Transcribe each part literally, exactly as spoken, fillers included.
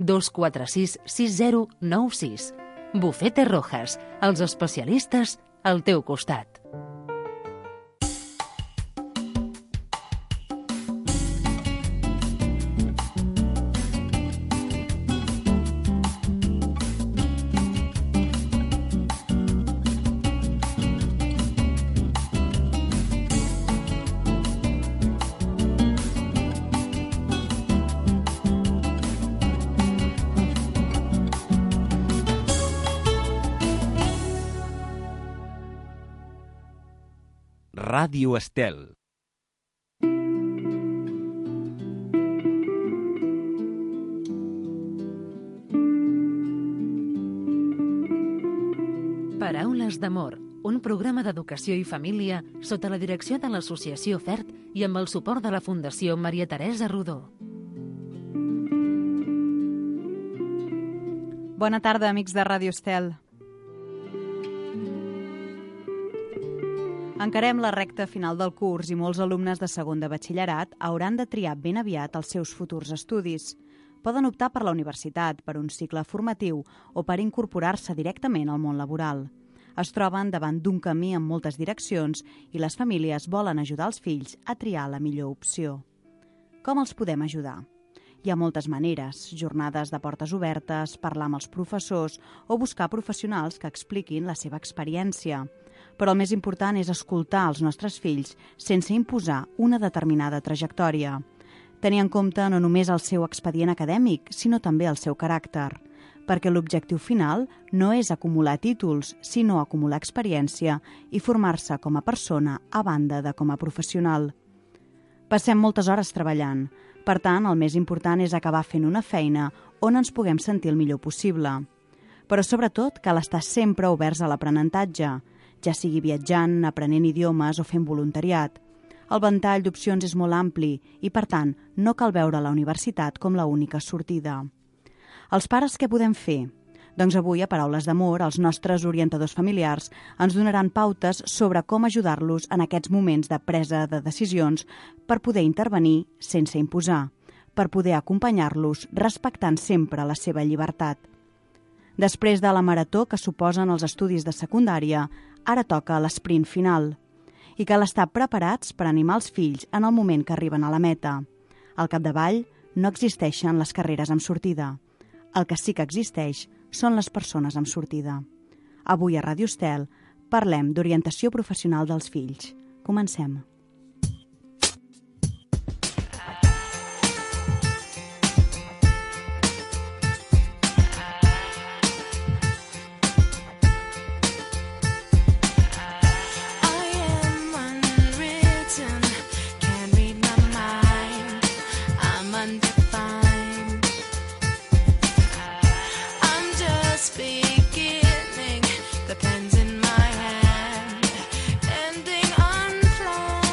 dos quatre sis sis zero nou sis. Bufete Rojas, els especialistes al teu costat. Ràdio Estel. Paraules d'amor, un programa d'educació i família sota la direcció de l'Associació FERT i amb el suport de la Fundació Maria Teresa Rodó. Bona tarda, amics de Ràdio Estel. Encarem la recta final del curs i molts alumnes de segon de batxillerat hauran de triar ben aviat els seus futurs estudis. Poden optar per la universitat, per un cicle formatiu o per incorporar-se directament al món laboral. Es troben davant d'un camí amb moltes direccions i les famílies volen ajudar els fills a triar la millor opció. Com els podem ajudar? Hi ha moltes maneres, jornades de portes obertes, parlar amb els professors o buscar professionals que expliquin la seva experiència. Però el més important és escoltar els nostres fills sense imposar una determinada trajectòria. Tenir en compte no només el seu expedient acadèmic, sinó també el seu caràcter, perquè l'objectiu final no és acumular títols, sinó acumular experiència i formar-se com a persona a banda de com a professional. Passem moltes hores treballant, per tant, el més important és acabar fent una feina on ens puguem sentir el millor possible. Però sobretot cal estar sempre oberts a l'aprenentatge, ja sigui viatjant, aprenent idiomes o fent voluntariat. El ventall d'opcions és molt ampli i, per tant, no cal veure la universitat com la única sortida. Els pares què podem fer? Doncs avui, a Paraules d'Amor, els nostres orientadors familiars ens donaran pautes sobre com ajudar-los en aquests moments de presa de decisions per poder intervenir sense imposar, per poder acompanyar-los respectant sempre la seva llibertat. Després de la marató que suposen els estudis de secundària, ara toca l'esprint final. I cal estar preparats per animar els fills en el moment que arriben a la meta. Al capdavall no existeixen les carreres amb sortida. El que sí que existeix són les persones amb sortida. Avui a Ràdio Estel parlem d'orientació professional dels fills. Comencem. Beginning, the pen's in my hand, ending unplanned.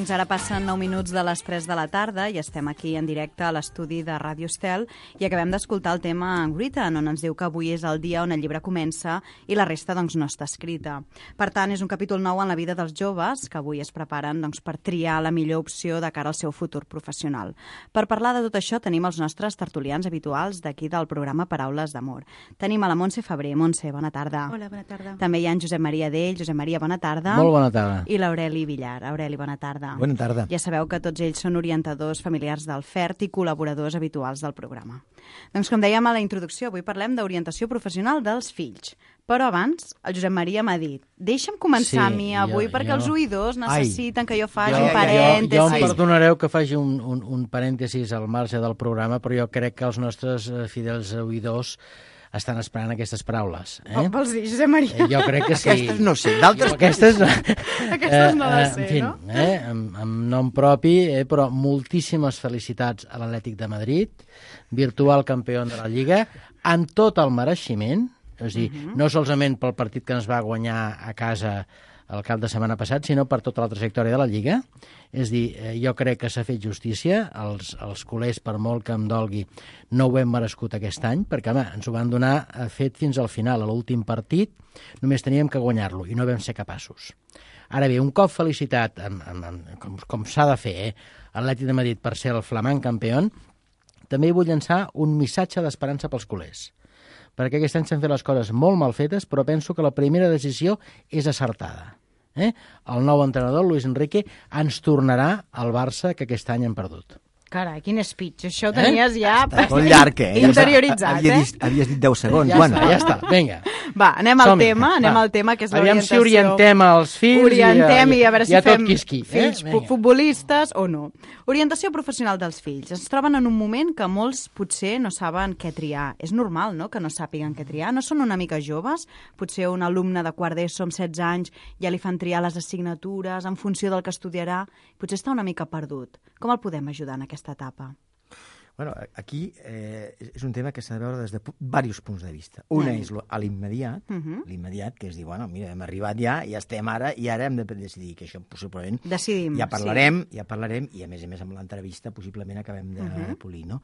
Doncs ara passen nou minuts de les tres de la tarda i estem aquí en directe a l'estudi de Ràdio Estel i acabem d'escoltar el tema Written, on ens diu que avui és el dia on el llibre comença i la resta doncs, no està escrita. Per tant, és un capítol nou en la vida dels joves que avui es preparen doncs, per triar la millor opció de cara al seu futur professional. Per parlar de tot això tenim els nostres tertulians habituals d'aquí del programa Paraules d'Amor. Tenim a la Montse Febrer. Montse, bona tarda. Hola, bona tarda. També hi ha en Josep Maria Dell. Josep Maria, bona tarda. Molt bona tarda. I l'Aureli Villar. Aureli, bona tarda. Bona tarda. Ja sabeu que tots ells són orientadors familiars del F E R T i col·laboradors habituals del programa. Doncs com dèiem a la introducció, avui parlem d'orientació professional dels fills. Però abans, el Josep Maria m'ha dit deixa'm començar sí, a mi avui jo, perquè jo... els oïdors necessiten Ai, que jo faci jo, un parèntesis. Jo, jo em perdonareu que faci un, un, un parèntesis al marge del programa, però jo crec que els nostres fidels oïdors estan esperant aquestes paraules. Eh? Oh, vols dir, Josep Maria? Eh, jo crec que sí. Aquestes no sé, d'altres... Aquestes, Aquestes no les sé, en fi, no? Eh, amb, amb nom propi, eh, però moltíssimes felicitats a l'Atlètic de Madrid, virtual campió de la Lliga, amb tot el mereixement, és a dir, uh -huh. no solament pel partit que ens va guanyar a casa el cap de setmana passat, sinó per tota la trajectòria de la Lliga. És a dir, eh, jo crec que s'ha fet justícia, els, els culers, per molt que em dolgui, no ho hem merescut aquest any, perquè home, ens ho van donar fet fins al final, a l'últim partit, només teníem que guanyar-lo, i no vam ser capaços. Ara bé, un cop felicitat, amb, amb, amb, com, com s'ha de fer, eh, l'Atlètic de Madrid per ser el flamant campió, també vull llançar un missatge d'esperança pels culers, perquè aquest any s'han fet les coses molt mal fetes, però penso que la primera decisió és acertada. Eh? El nou entrenador, Luis Enrique, ens tornarà al Barça que aquest any hem perdut. Carai, quin speech. Això ho tenies eh? ja molt llarg, eh? interioritzat, havia eh? dit, havies dit deu segons. Ja bueno. està, ja està, vinga. Va, anem al Som-hi. tema, anem Va. al tema, que és Aviam l'orientació. si orientem els fills Orientem i, i, a veure si i a tot fem qui és qui. fills eh? fu- futbolistes o no. Orientació professional dels fills. Es troben en un moment que molts potser no saben què triar. És normal, no?, que no sàpiguen què triar. No són una mica joves? Potser un alumne de quart d'ESO amb setze anys ja li fan triar les assignatures en funció del que estudiarà. Potser està una mica perdut. Com el podem ajudar en aquesta etapa? Bueno, aquí eh, és un tema que s'ha de veure des de diversos punts de vista. Una Mm. és lo- a l'immediat, Uh -huh. l'immediat, que és dir, bueno, mira, hem arribat ja, ja estem ara, i ara hem de decidir, que això possiblement... Decidim, Ja parlarem, sí. ja parlarem, i a més a més amb l'entrevista possiblement acabem de Uh -huh. polir, no?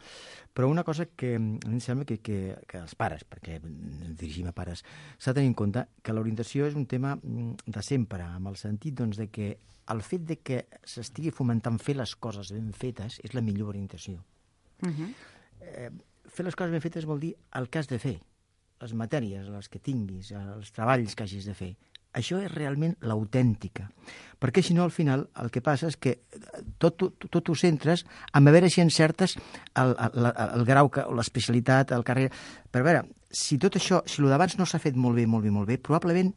Però una cosa que a mi em sembla que, que, que els pares, perquè ens dirigim a pares, s'ha de tenir en compte que l'orientació és un tema de sempre, amb el sentit doncs, de que el fet de que s'estigui fomentant fer les coses ben fetes és la millor orientació. Uh -huh. Eh, fer les coses ben fetes vol dir el que has de fer, les matèries, les que tinguis, els treballs que hagis de fer. Això és realment l'autèntica. Perquè si no, al final, el que passa és que tot, tot, tot ho centres en a veure si encertes el, el, el, el grau, o l'especialitat, el carrera. Però a veure, si tot això, si el d'abans no s'ha fet molt bé, molt bé, molt bé, probablement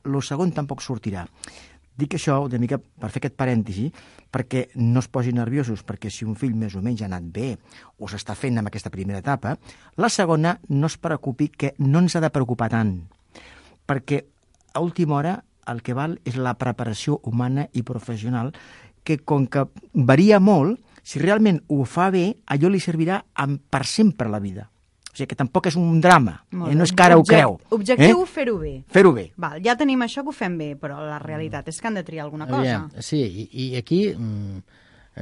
el segon tampoc sortirà. Dic això una mica per fer aquest parèntesi, perquè no es posin nerviosos, perquè si un fill més o menys ha anat bé o s'està fent en aquesta primera etapa, la segona no es preocupi, que no ens ha de preocupar tant, perquè a última hora el que val és la preparació humana i professional, que com que varia molt, si realment ho fa bé, allò li servirà per sempre a la vida. O sigui que tampoc és un drama, eh? No és que ara ho creu. Objectiu, eh? fer-ho bé. Fer-ho bé. Val, ja tenim això que ho fem bé, però la realitat és que han de triar alguna cosa. Aviam, sí, i, i aquí, mm,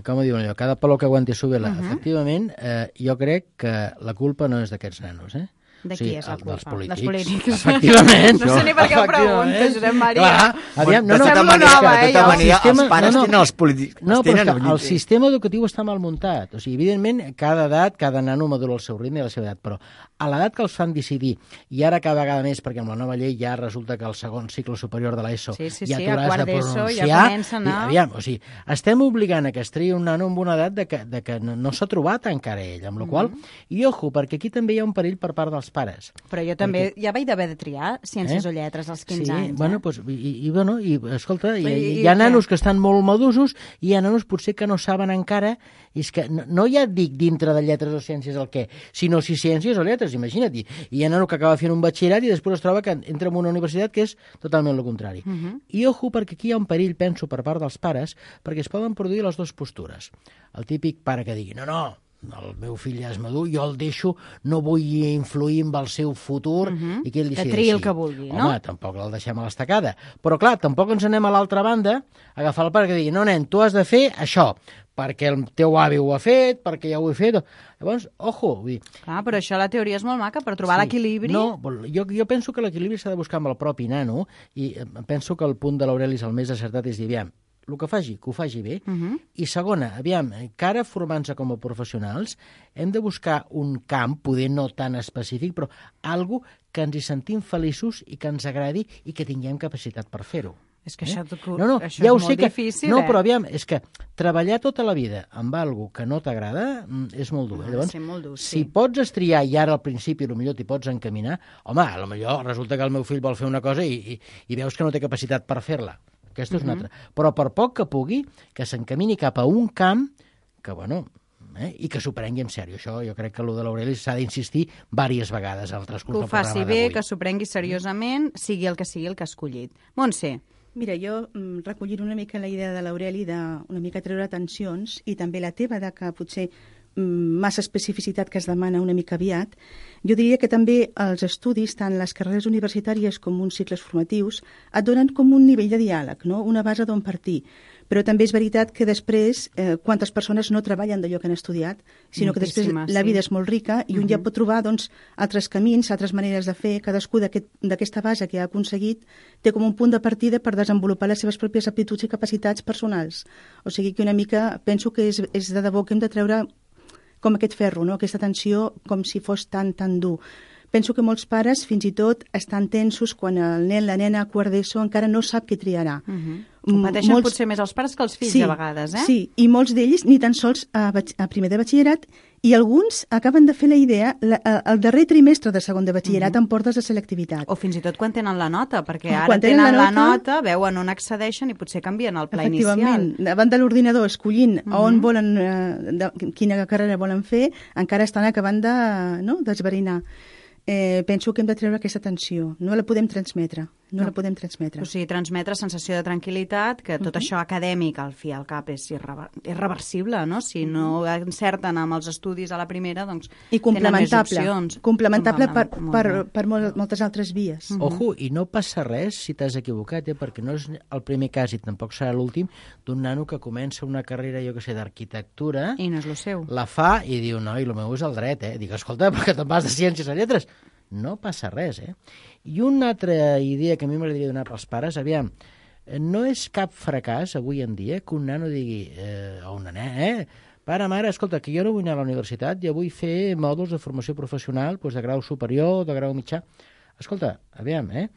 com ho diuen allò, cada palo que aguanti su vela. Uh -huh. Efectivament, eh, jo crec que la culpa no és d'aquests nanos, eh? De o sigui, qui és la culpa? Dels polítics. Dels polítics. Efectivament. No sé ni per què ho preguntes, Josep Maria. Clar, aviam, no, de no, tota sembla manera, nova, de eh, tota jo. manera, sistema- els pares no, no. tenen els polítics. No, els però tenen, és que vull el dir, sistema educatiu està mal muntat. O sigui, evidentment, cada edat, cada nano madura el seu ritme i la seva edat, però a l'edat que els fan decidir, i ara cada vegada més, perquè amb la nova llei ja resulta que el segon cicle superior de l'ESO Sí, sí, ja sí, t'ho a has quart de d'ESO ja pronunciar. comença a anar- I, aviam, o sigui, estem obligant a que es triï un nano amb una edat de que, de que no, no s'ha trobat encara ell, amb la Mm. qual cosa, i ojo, perquè aquí també hi ha un perill per part dels pares. Però jo també, ja vaig d'haver de triar ciències Eh? o lletres als quinze sí, anys. bueno, eh? pues, i, i, bueno, i escolta, hi, I- hi, i hi ha què? nanos que estan molt madusos i hi ha nanos potser que no saben encara, i és que no, no ja dic dintre de lletres o ciències el què, sinó si ciències o lletres, imagina't. I hi ha nano que acaba fent un batxillerat i després es troba que entra en una universitat que és totalment el contrari. Uh -huh. I ojo, perquè aquí hi ha un perill, penso, per part dels pares, perquè es poden produir les dues postures. El típic pare que digui, no, no, el meu fill ja és madur, jo el deixo, no vull influir en el seu futur, Mhm. i que ell Que decideixi. triï el que vulgui, no? Home, tampoc el deixem a l'estacada. Però, clar, tampoc ens anem a l'altra banda a agafar el pare que digui, no, nen, tu has de fer això, perquè el teu avi ho ha fet, perquè ja ho he fet. Llavors, ojo, vull dir... Clar, però això la teoria és molt maca, per trobar Sí. l'equilibri... No, jo, jo penso que l'equilibri s'ha de buscar amb el propi nano, i eh, penso que el punt de l'Aureli és el més acertat, és dir, aviam, el que faci, que ho faci bé. Mhm. I segona, aviam, encara formant-se com a professionals, hem de buscar un camp, poder no tan específic, però algo que ens hi sentim feliços i que ens agradi i que tinguem capacitat per fer-ho. És que això, No, no, això ja ho és sé molt que... difícil, no, eh? però aviam, és que treballar tota la vida amb algo que no t'agrada mm, és molt dur. Ha Eh? de Llavors, ser molt dur, si sí. pots estriar i ara al principi potser t'hi pots encaminar, home, a lo millor resulta que el meu fill vol fer una cosa i, i, i veus que no té capacitat per fer-la. Aquesta és una altra. Però per poc que pugui, que s'encamini cap a un camp que, bueno, eh, i que s'ho prengui en sèrio. Això jo crec que el de l'Aureli s'ha d'insistir diverses vegades al Que transcurs ho del faci programa bé, d'avui. que s'ho prengui seriosament, sigui el que sigui el que ha escollit. Montse, Mira, jo, mm, recollint una mica la idea de l'Aureli de una mica treure tensions i també la teva de que potser mm, massa especificitat que es demana una mica aviat, jo diria que també els estudis, tant les carreres universitàries com uns cicles formatius, et donen com un nivell de diàleg, no? Una base d'on partir. Però també és veritat que després, eh, quantes persones no treballen d'allò que han estudiat, sinó que després Moltíssimes, la sí. vida és molt rica i un Mhm. ja pot trobar doncs, altres camins, altres maneres de fer. Cadascú d'aquest- d'aquesta base que ha aconseguit té com un punt de partida per desenvolupar les seves pròpies aptituds i capacitats personals. O sigui que una mica penso que és, és de debò que hem de treure com aquest ferro, no? Aquesta tensió com si fos tan, tan dur. Penso que molts pares fins i tot estan tensos quan el nen, la nena a quart d'ESO encara no sap què triarà. uh -huh. Mm, ho pateixen molts- potser més els pares que els fills, sí, a vegades, eh? Sí, i molts d'ells ni tan sols a, batx- a primer de batxillerat, i alguns acaben de fer la idea, la, a- el darrer trimestre de segon de batxillerat Mhm. en portes de selectivitat. O fins i tot quan tenen la nota, perquè Ah, ara quan tenen tenen la la nota- nota, veuen on accedeixen i potser canvien el pla Efectivament, inicial. davant de l'ordinador escollint Mhm. on volen, eh, de, quina carrera volen fer, encara estan acabant de, no, d'esverinar. Eh, penso que hem de treure aquesta tensió. No la podem transmetre. No, No. la podem transmetre. O sigui, transmetre sensació de tranquil·litat, que tot Mhm. això acadèmic, al fi i al cap, és irrever irreversible, no? Si no encerten amb els estudis a la primera, doncs I tenen més complementable. opcions. Complementable per, Molt per, bé. per mol, moltes altres vies. Mhm. Ojo, i no passa res si t'has equivocat, eh? Perquè no és el primer cas i tampoc serà l'últim d'un nano que comença una carrera, jo que sé, d'arquitectura, I no és el seu. la fa i diu, no, i el meu és el dret, eh? Dic, escolta, perquè te'n vas de ciències a lletres. No passa res, eh? I una altra idea que a mi m'agradaria donar pels pares, aviam, eh, no és cap fracàs avui en dia que un nano digui, eh, o una nena, eh? Pare, mare, escolta, que jo no vull anar a la universitat, jo vull fer mòduls de formació professional, doncs de grau superior, de grau mitjà. Escolta, aviam, eh?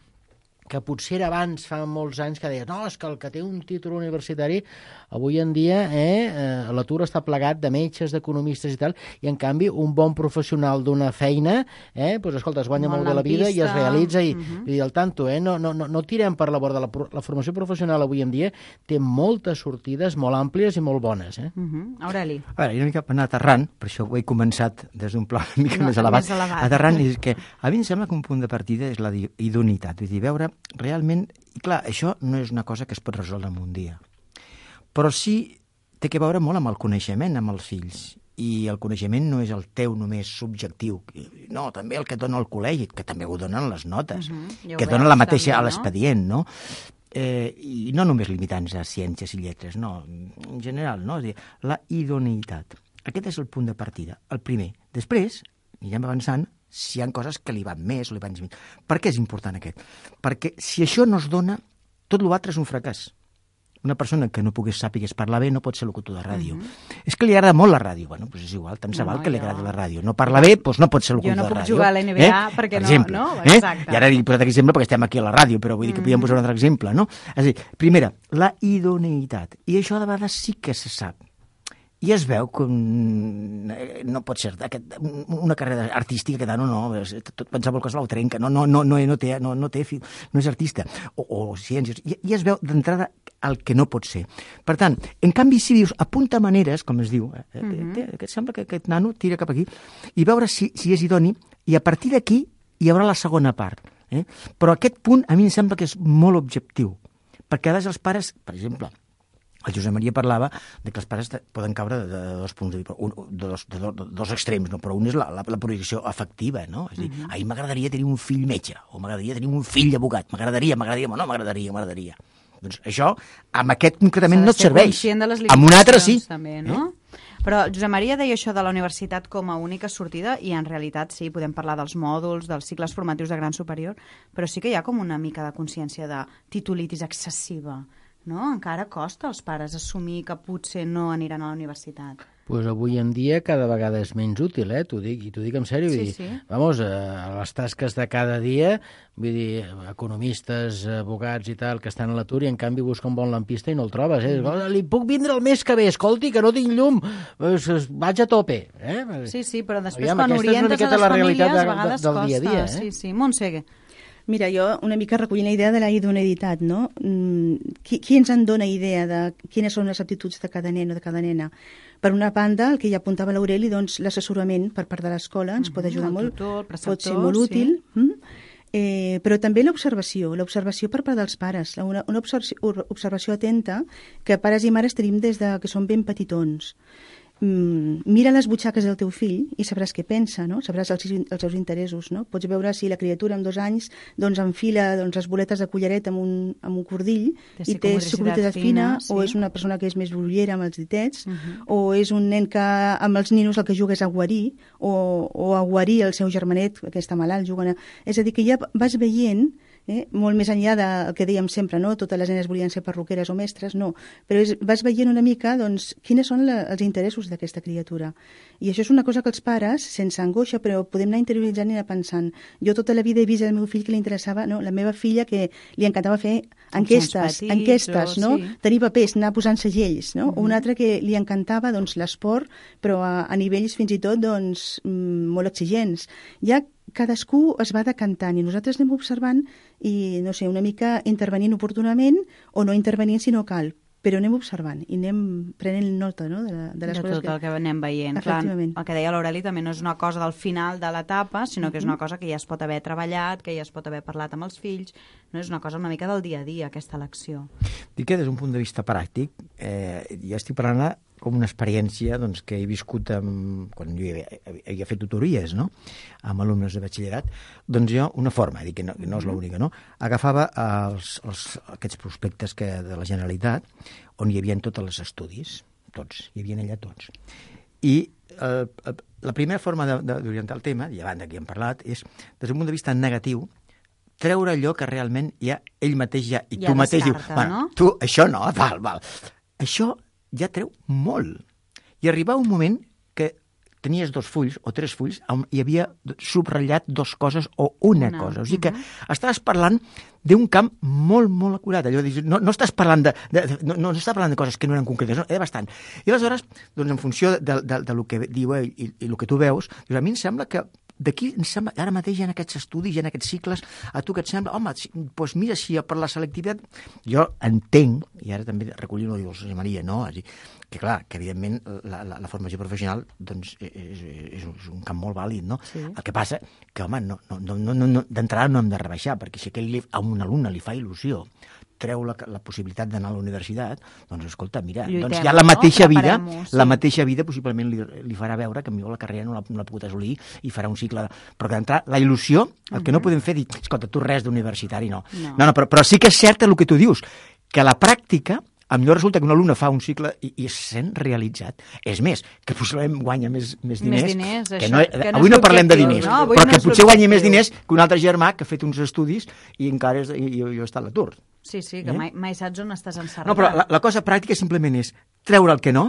Que potser era abans, fa molts anys, que deia no, és que el que té un títol universitari avui en dia eh, eh, l'atur està plegat de metges, d'economistes i tal, i en canvi un bon professional d'una feina, eh, doncs, escolta, es guanya Un molt bé la vida i es lampista. realitza i, Mhm. i al tanto, eh, no, no, no, no tirem per la borda. La, pro- la formació professional avui en dia té moltes sortides molt àmplies i molt bones. Eh? Uh -huh. Aureli. A veure, jo una mica per anar aterrant, per això ho he començat des d'un pla una mica No, més elevat, més elevat. aterrant, és que a mi em sembla que un punt de partida és la di- idoneïtat, vull dir, veure realment, i clar, això no és una cosa que es pot resoldre en un dia, però sí té que veure molt amb el coneixement amb els fills, i el coneixement no és el teu només subjectiu, no, també el que et dona el col·legi, que també ho donen les notes, Uh -huh. Ja ho que et dona veus, la mateixa també, a no? l'expedient, no? Eh, I no només limitant-se a ciències i lletres, no, en general, no? És a dir, la idoneïtat. Aquest és el punt de partida, el primer. Després, anirem avançant, si hi ha coses que li van més o li van menys. Per què és important aquest? Perquè si això no es dona, tot l'altre és un fracàs. Una persona que no pogués sàpigues parlar bé no pot ser locutor de ràdio. Uh -huh. És que li agrada molt la ràdio. Bueno, doncs és igual, tant se No, val que li jo- agradi la ràdio. No parla bé, doncs no pot ser locutor Jo no de puc ràdio. jugar a la N B A perquè per no- exemple, no? Eh? Exacte. I ara he posat aquest exemple perquè estem aquí a la ràdio, però vull dir que podíem posar un altre exemple, no? És a dir, primera, la idoneïtat. I això de vegades sí que se sap. I es veu que un, eh, no pot ser aquest, una carrera artística que no, no, és, tot, qualsevol cosa ho trenca, no, no, no, no, no, té, no, no, té, fi- no és artista, o, o ciències, i, i es veu d'entrada el que no pot ser. Per tant, en canvi, si dius apunta maneres, com es diu, eh, eh, Mhm. té, que sembla que aquest nano tira cap aquí, i veure si, si és idoni, i a partir d'aquí hi haurà la segona part. Eh? Però aquest punt a mi em sembla que és molt objectiu, perquè a vegades els pares, per exemple, el Josep Maria parlava de que els pares poden caure de, de dos punts de, un, de, dos, de, dos, de dos extrems, no? Però un és la, la, la projecció afectiva, no? És a dir, uh -huh. a mi m'agradaria tenir un fill metge, o m'agradaria tenir un fill abogat, m'agradaria, m'agradaria, no, m'agradaria, m'agradaria. Doncs això, amb aquest concretament no et serveix. Amb un altre sí. També, no? Eh? Però Josep Maria deia això de la universitat com a única sortida i en realitat sí, podem parlar dels mòduls, dels cicles formatius de gran superior, però sí que hi ha com una mica de consciència de titulitis excessiva. No? Encara costa als pares assumir que potser no aniran a la universitat. Pues avui en dia cada vegada és menys útil, eh? T'ho dic, i t'ho dic en sèrio. Sí, vull dir, sí. Vamos, a les tasques de cada dia, vull dir, economistes, abogats i tal, que estan a l'atur i en canvi busca un bon lampista i no el trobes, eh? Mm. Li puc vindre el mes que ve, escolti, que no tinc llum, vaig a tope, eh? Sí, sí, però després Aviam, quan orientes a les famílies, de, a vegades del costa. Dia a dia, eh? Sí, sí, Montse. Mira, jo una mica recollint la idea de la idoneïtat, no? Qui, qui ens en dona idea de quines són les aptituds de cada nen o de cada nena? Per una banda, el que ja apuntava l'Aureli, doncs l'assessorament per part de l'escola ens uh -huh, pot ajudar molt, tutor, pot ser molt útil, sí. mm? eh, però també l'observació, l'observació per part dels pares, una, una observació, observació atenta que pares i mares tenim des de que són ben petitons. Mm, mira les butxaques del teu fill i sabràs què pensa, no? Sabràs els, els seus interessos, no? Pots veure si la criatura amb dos anys doncs enfila doncs, les boletes de collaret amb un, amb un cordill i té psicomotricitat fina, sí. O és una persona que és més brollera amb els ditets, uh -huh. o és un nen que amb els ninos el que juga és a guarir, o, o a guarir el seu germanet que està malalt, juguen a... És a dir, que ja vas veient Eh? molt més enllà del que dèiem sempre, no? Totes les nenes volien ser perruqueres o mestres, no, però és, vas veient una mica doncs, quines són la, els interessos d'aquesta criatura, i això és una cosa que els pares, sense angoixa, però podem anar interioritzant i anar pensant. Jo tota la vida he vist el meu fill que li interessava, no? La meva filla que li encantava fer enquestes, petits, enquestes, o, no? Sí. Tenir papers, anar posant segells, no? Uh -huh. O una altra que li encantava doncs, l'esport, però a, a nivells fins i tot doncs, molt exigents. Ja cadascú es va decantant i nosaltres anem observant i, no sé, una mica intervenint oportunament o no intervenint si no cal, però anem observant i anem prenent nota, no?, de, la, de les de coses tot que... el que anem veient. Clar, el que deia l'Aureli també no és una cosa del final de l'etapa, sinó uh-huh. que és una cosa que ja es pot haver treballat, que ja es pot haver parlat amb els fills, no és una cosa una mica del dia a dia, aquesta elecció. Dic que des d'un punt de vista pràctic, eh, ja estic parlant com una experiència doncs, que he viscut amb, quan jo havia, havia fet tutories, no?, amb alumnes de batxillerat, doncs jo, una forma, dic que no, que no és l'única, no?, agafava els, els, aquests prospectes que, de la Generalitat, on hi havia tots els estudis, tots, hi havia allà tots. I eh, la primera forma d'orientar el tema, i abans que hem parlat, és, des d'un punt de vista negatiu, treure allò que realment ja ell mateix ja, i ja tu mateix diu, no? bueno, tu, això no, val, val. Això ja treu molt. I arribava un moment que tenies dos fulls o tres fulls on hi havia subratllat dues coses o una, una. cosa. O sigui que uh-huh. estaves parlant d'un camp molt, molt acurat. Allò, no, no estàs parlant de, de, no, no estàs parlant de coses que no eren concretes, no, era bastant. I aleshores, doncs, en funció de, de, de lo que diu ell i, i el que tu veus, doncs, a mi em sembla que d'aquí, em sembla, ara mateix hi ha aquests estudis, hi ha aquests cicles, a tu que et sembla, home, doncs mira, si per la selectivitat, jo entenc, i ara també recollint-ho, diu el senyor Maria, no? És dir, que clar, que evidentment la, la, la formació professional doncs, és, és, és un camp molt vàlid, no? Sí. El que passa que, home, no, no, no, no, no, d'entrada no hem de rebaixar, perquè si aquell, a un alumne li fa il·lusió treu la, la possibilitat d'anar a la universitat, doncs escolta, mira, Lluitem, doncs ja la mateixa no? vida, sí. la mateixa vida possiblement li, li farà veure que millor la carrera no la, no la pogut assolir i farà un cicle... Però que d'entrar, la il·lusió, el uh-huh. que no podem fer, dir, escolta, tu res d'universitari, no. No, no, no però, però sí que és cert el que tu dius, que la pràctica, a millor resulta que un alumne fa un cicle i, i es sent realitzat. És més, que possiblement guanya més, més diners. Més diners, que això, no, que avui no, no parlem de diners, no, però no que potser guanya més objectiu. diners que un altre germà que ha fet uns estudis i encara és, i, i, i està a l'atur. Sí, sí, que eh? mai, mai saps on estàs encerrat. No, però la, la cosa pràctica simplement és treure el que no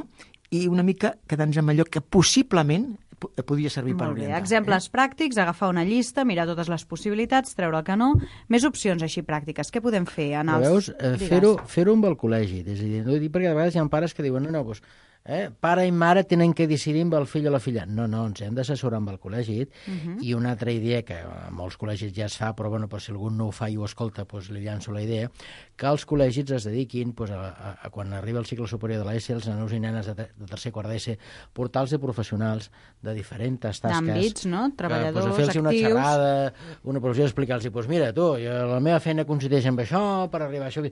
i una mica quedar-nos amb allò que possiblement podria servir per orientar. Exemples eh? pràctics, agafar una llista, mirar totes les possibilitats, treure el que no, més opcions així pràctiques. Què podem fer? En els... Veus, eh, fer-ho fer-ho amb el col·legi. És a dir, no dic perquè a vegades hi ha pares que diuen no, no, doncs, eh, pare i mare tenen que decidir amb el fill o la filla. No, no, ens hem d'assessorar amb el col·legi. Uh-huh. I una altra idea, que a molts col·legis ja es fa, però bueno, però si algú no ho fa i ho escolta, doncs li llanço la idea, que els col·legis es dediquin, doncs, a, a, a quan arriba el cicle superior de l'E S E, els nanos i nenes de, de tercer quart d'E S E, portals de professionals de diferents tasques. D'àmbits, no? Treballadors, que, doncs, actius. Una xerrada, una professió, explicar-los, doncs mira, tu, jo, la meva feina consisteix en això, per arribar a això...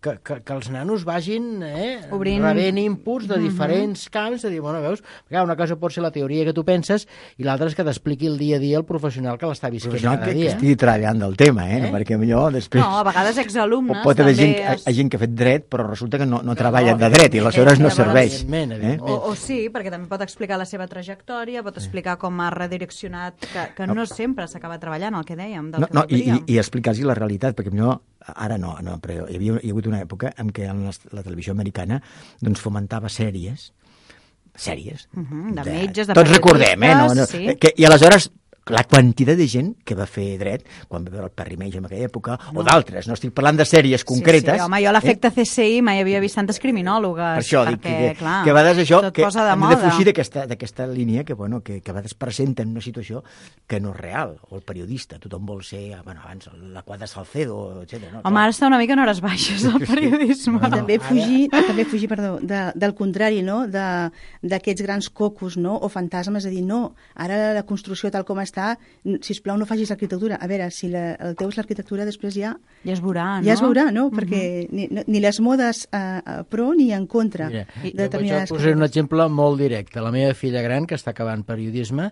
que, que, que els nanos vagin eh, Obrint... rebent inputs de diferents camps, de dir, bueno, veus, perquè una cosa pot ser la teoria que tu penses i l'altra és que t'expliqui el dia a dia el professional que l'està visquent professional cada que, dia. que estigui treballant del tema, eh? eh? Perquè millor després... No, a vegades exalumnes pot haver també... gent, Es... gent que ha fet dret, però resulta que no, no treballa de dret i aleshores no serveix. Evidentment, Eh? evidentment. O, o sí, perquè també pot explicar la seva trajectòria, pot explicar com ha redireccionat, que, que no sempre s'acaba treballant, el que dèiem, del No, que no, i, i, voldríem. i explicar-los la realitat, perquè millor, ara no, no però hi havia, hi ha hagut una època en què la, la televisió americana doncs, fomentava sèries, sèries. Uh -huh, de metges, de tots recordem, eh? No, no, sí. que, I aleshores la quantitat de gent que va fer dret, quan va veure el Perry Mason en aquella època, no. o d'altres, no estic parlant de sèries concretes... Sí, sí, home, jo a l'efecte C S I mai havia vist tantes criminòlogues, Per això, perquè, dic que, clar, que a vegades això, tot que posa de hem moda. de fugir d'aquesta línia que, bueno, que, que a vegades presenten una situació que no és real, o el periodista, tothom vol ser, bueno, abans la quadra Salcedo, etcètera. No? Home, ara està una mica en hores baixes el periodisme. I també fugir, també fugir perdó, de, del contrari, no? de, d'aquests grans cocos, no? O fantasmes, és a dir, no, ara la construcció tal com està, sisplau, no facis l'arquitectura. A veure, si la, el teu és l'arquitectura, després ja... Ja es veurà, no? Ja es veurà, no? Perquè ni, ni les modes a, a pro ni en contra Mira, de jo determinades vaig posar un carreres. exemple molt directe. La meva filla gran, que està acabant periodisme,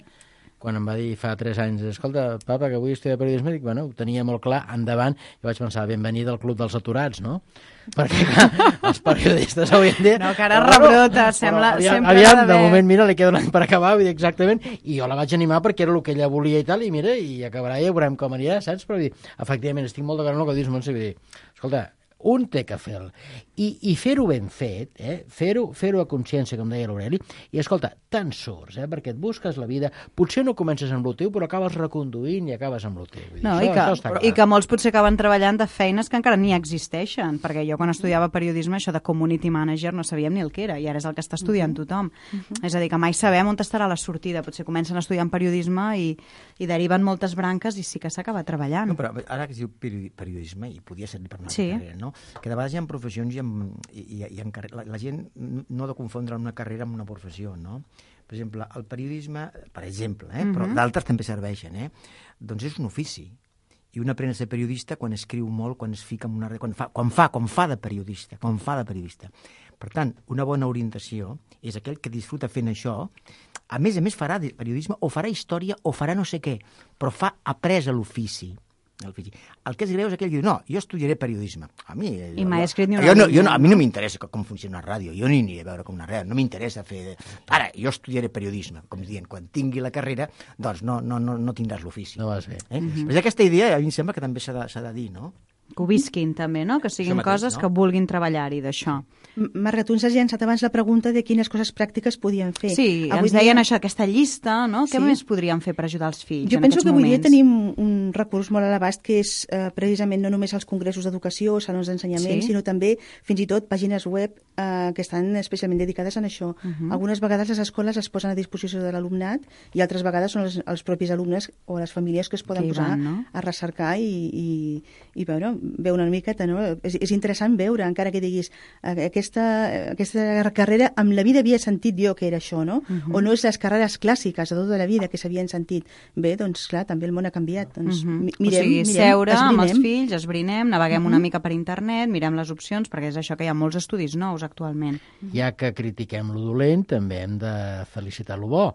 quan em va dir fa tres anys, escolta, papa, que vull estudiar periodisme, dic, bueno, ho tenia molt clar, endavant, jo vaig pensar, benvenida al Club dels Aturats, no? Perquè, clar, els periodistes avui en dia... No, que ara rebrota, sembla... Aviam, sempre aviam ha de d'haver- moment, mira, li queda un any per acabar, vull dir, exactament, i jo la vaig animar perquè era el que ella volia i tal, i mira, i acabarà i ja veurem com anirà, saps? Però, vull dir, efectivament, estic molt d'acord amb el que dius, Montse, vull dir, escolta, un té que fer-lo. I, i fer-ho ben fet, eh? fer-ho fer a consciència, com deia l'Aureli, i escolta, te'n surts, eh? perquè et busques la vida, potser no comences amb el teu, però acabes reconduint i acabes amb el teu. Vull dir, No, això, i, que, això està clar. i que molts potser acaben treballant de feines que encara ni existeixen, perquè jo quan estudiava periodisme, això de community manager no sabíem ni el que era, i ara és el que està estudiant tothom. Uh-huh. És a dir, que mai sabem on estarà la sortida. Potser comencen estudiant periodisme i, i deriven moltes branques i sí que s'acaba treballant. No, però ara que es diu peri- periodisme, i podia ser per una altra Sí. carrera, no? Que de vegades hi ha professions i, en, i, i, i en carre- la, la gent no ha de confondre una carrera amb una professió, no? Per exemple, el periodisme, per exemple, eh? però Mhm. d'altres també serveixen, eh? Doncs és un ofici. I un aprèn a ser periodista quan escriu molt, quan es fica en una... quan fa, quan fa, quan fa de periodista, quan fa de periodista. Per tant, una bona orientació és aquell que disfruta fent això, a més a més farà de periodisme, o farà història, o farà no sé què, però fa après a l'ofici. l'ofici. El que és greu és aquell que diu, no, jo estudiaré periodisme. A mi... I mai ha escrit ni una jo no, línia. jo no, a mi no m'interessa com funciona la ràdio, jo no hi aniré a veure com una ràdio, no m'interessa fer... Ara, jo estudiaré periodisme, com dient, quan tingui la carrera, doncs no, no, no, no tindràs l'ofici. No vas bé. Eh? Mm-hmm. Però aquesta idea a mi em sembla que també s'ha de, s'ha de dir, no? Que ho visquin també, no? Que siguin Això mateix, coses no? que vulguin treballar-hi d'això. Marga, tu ens has llançat abans la pregunta de quines coses pràctiques podien fer. Sí, Avui ens deien dia- això, aquesta llista, no? Què Sí. més podríem fer per ajudar els fills Jo en penso aquests que avui dia moments? tenim un recurs molt a l'abast que és eh, precisament no només els congressos d'educació, salons d'ensenyament, Sí. sinó també fins i tot pàgines web eh, que estan especialment dedicades a això. Mhm. Algunes vegades les escoles es posen a disposició de l'alumnat i altres vegades són els, els propis alumnes o les famílies que es poden Que hi posar van, no? a recercar i, i, i veure, veure una miqueta, no? És, és interessant veure, encara que diguis eh, aquesta, aquesta carrera amb la vida havia sentit jo que era això, no? Mhm. O no és les carreres clàssiques de tota la vida que s'havien sentit. Bé, doncs clar, també el món ha canviat. Doncs, Mhm. mi- mirem, o sigui, mirem, seure amb els esbrinem. fills, esbrinem, naveguem una mica per internet, mirem les opcions, perquè és això que hi ha molts estudis nous actualment. Ja que critiquem lo dolent, també hem de felicitar lo bo.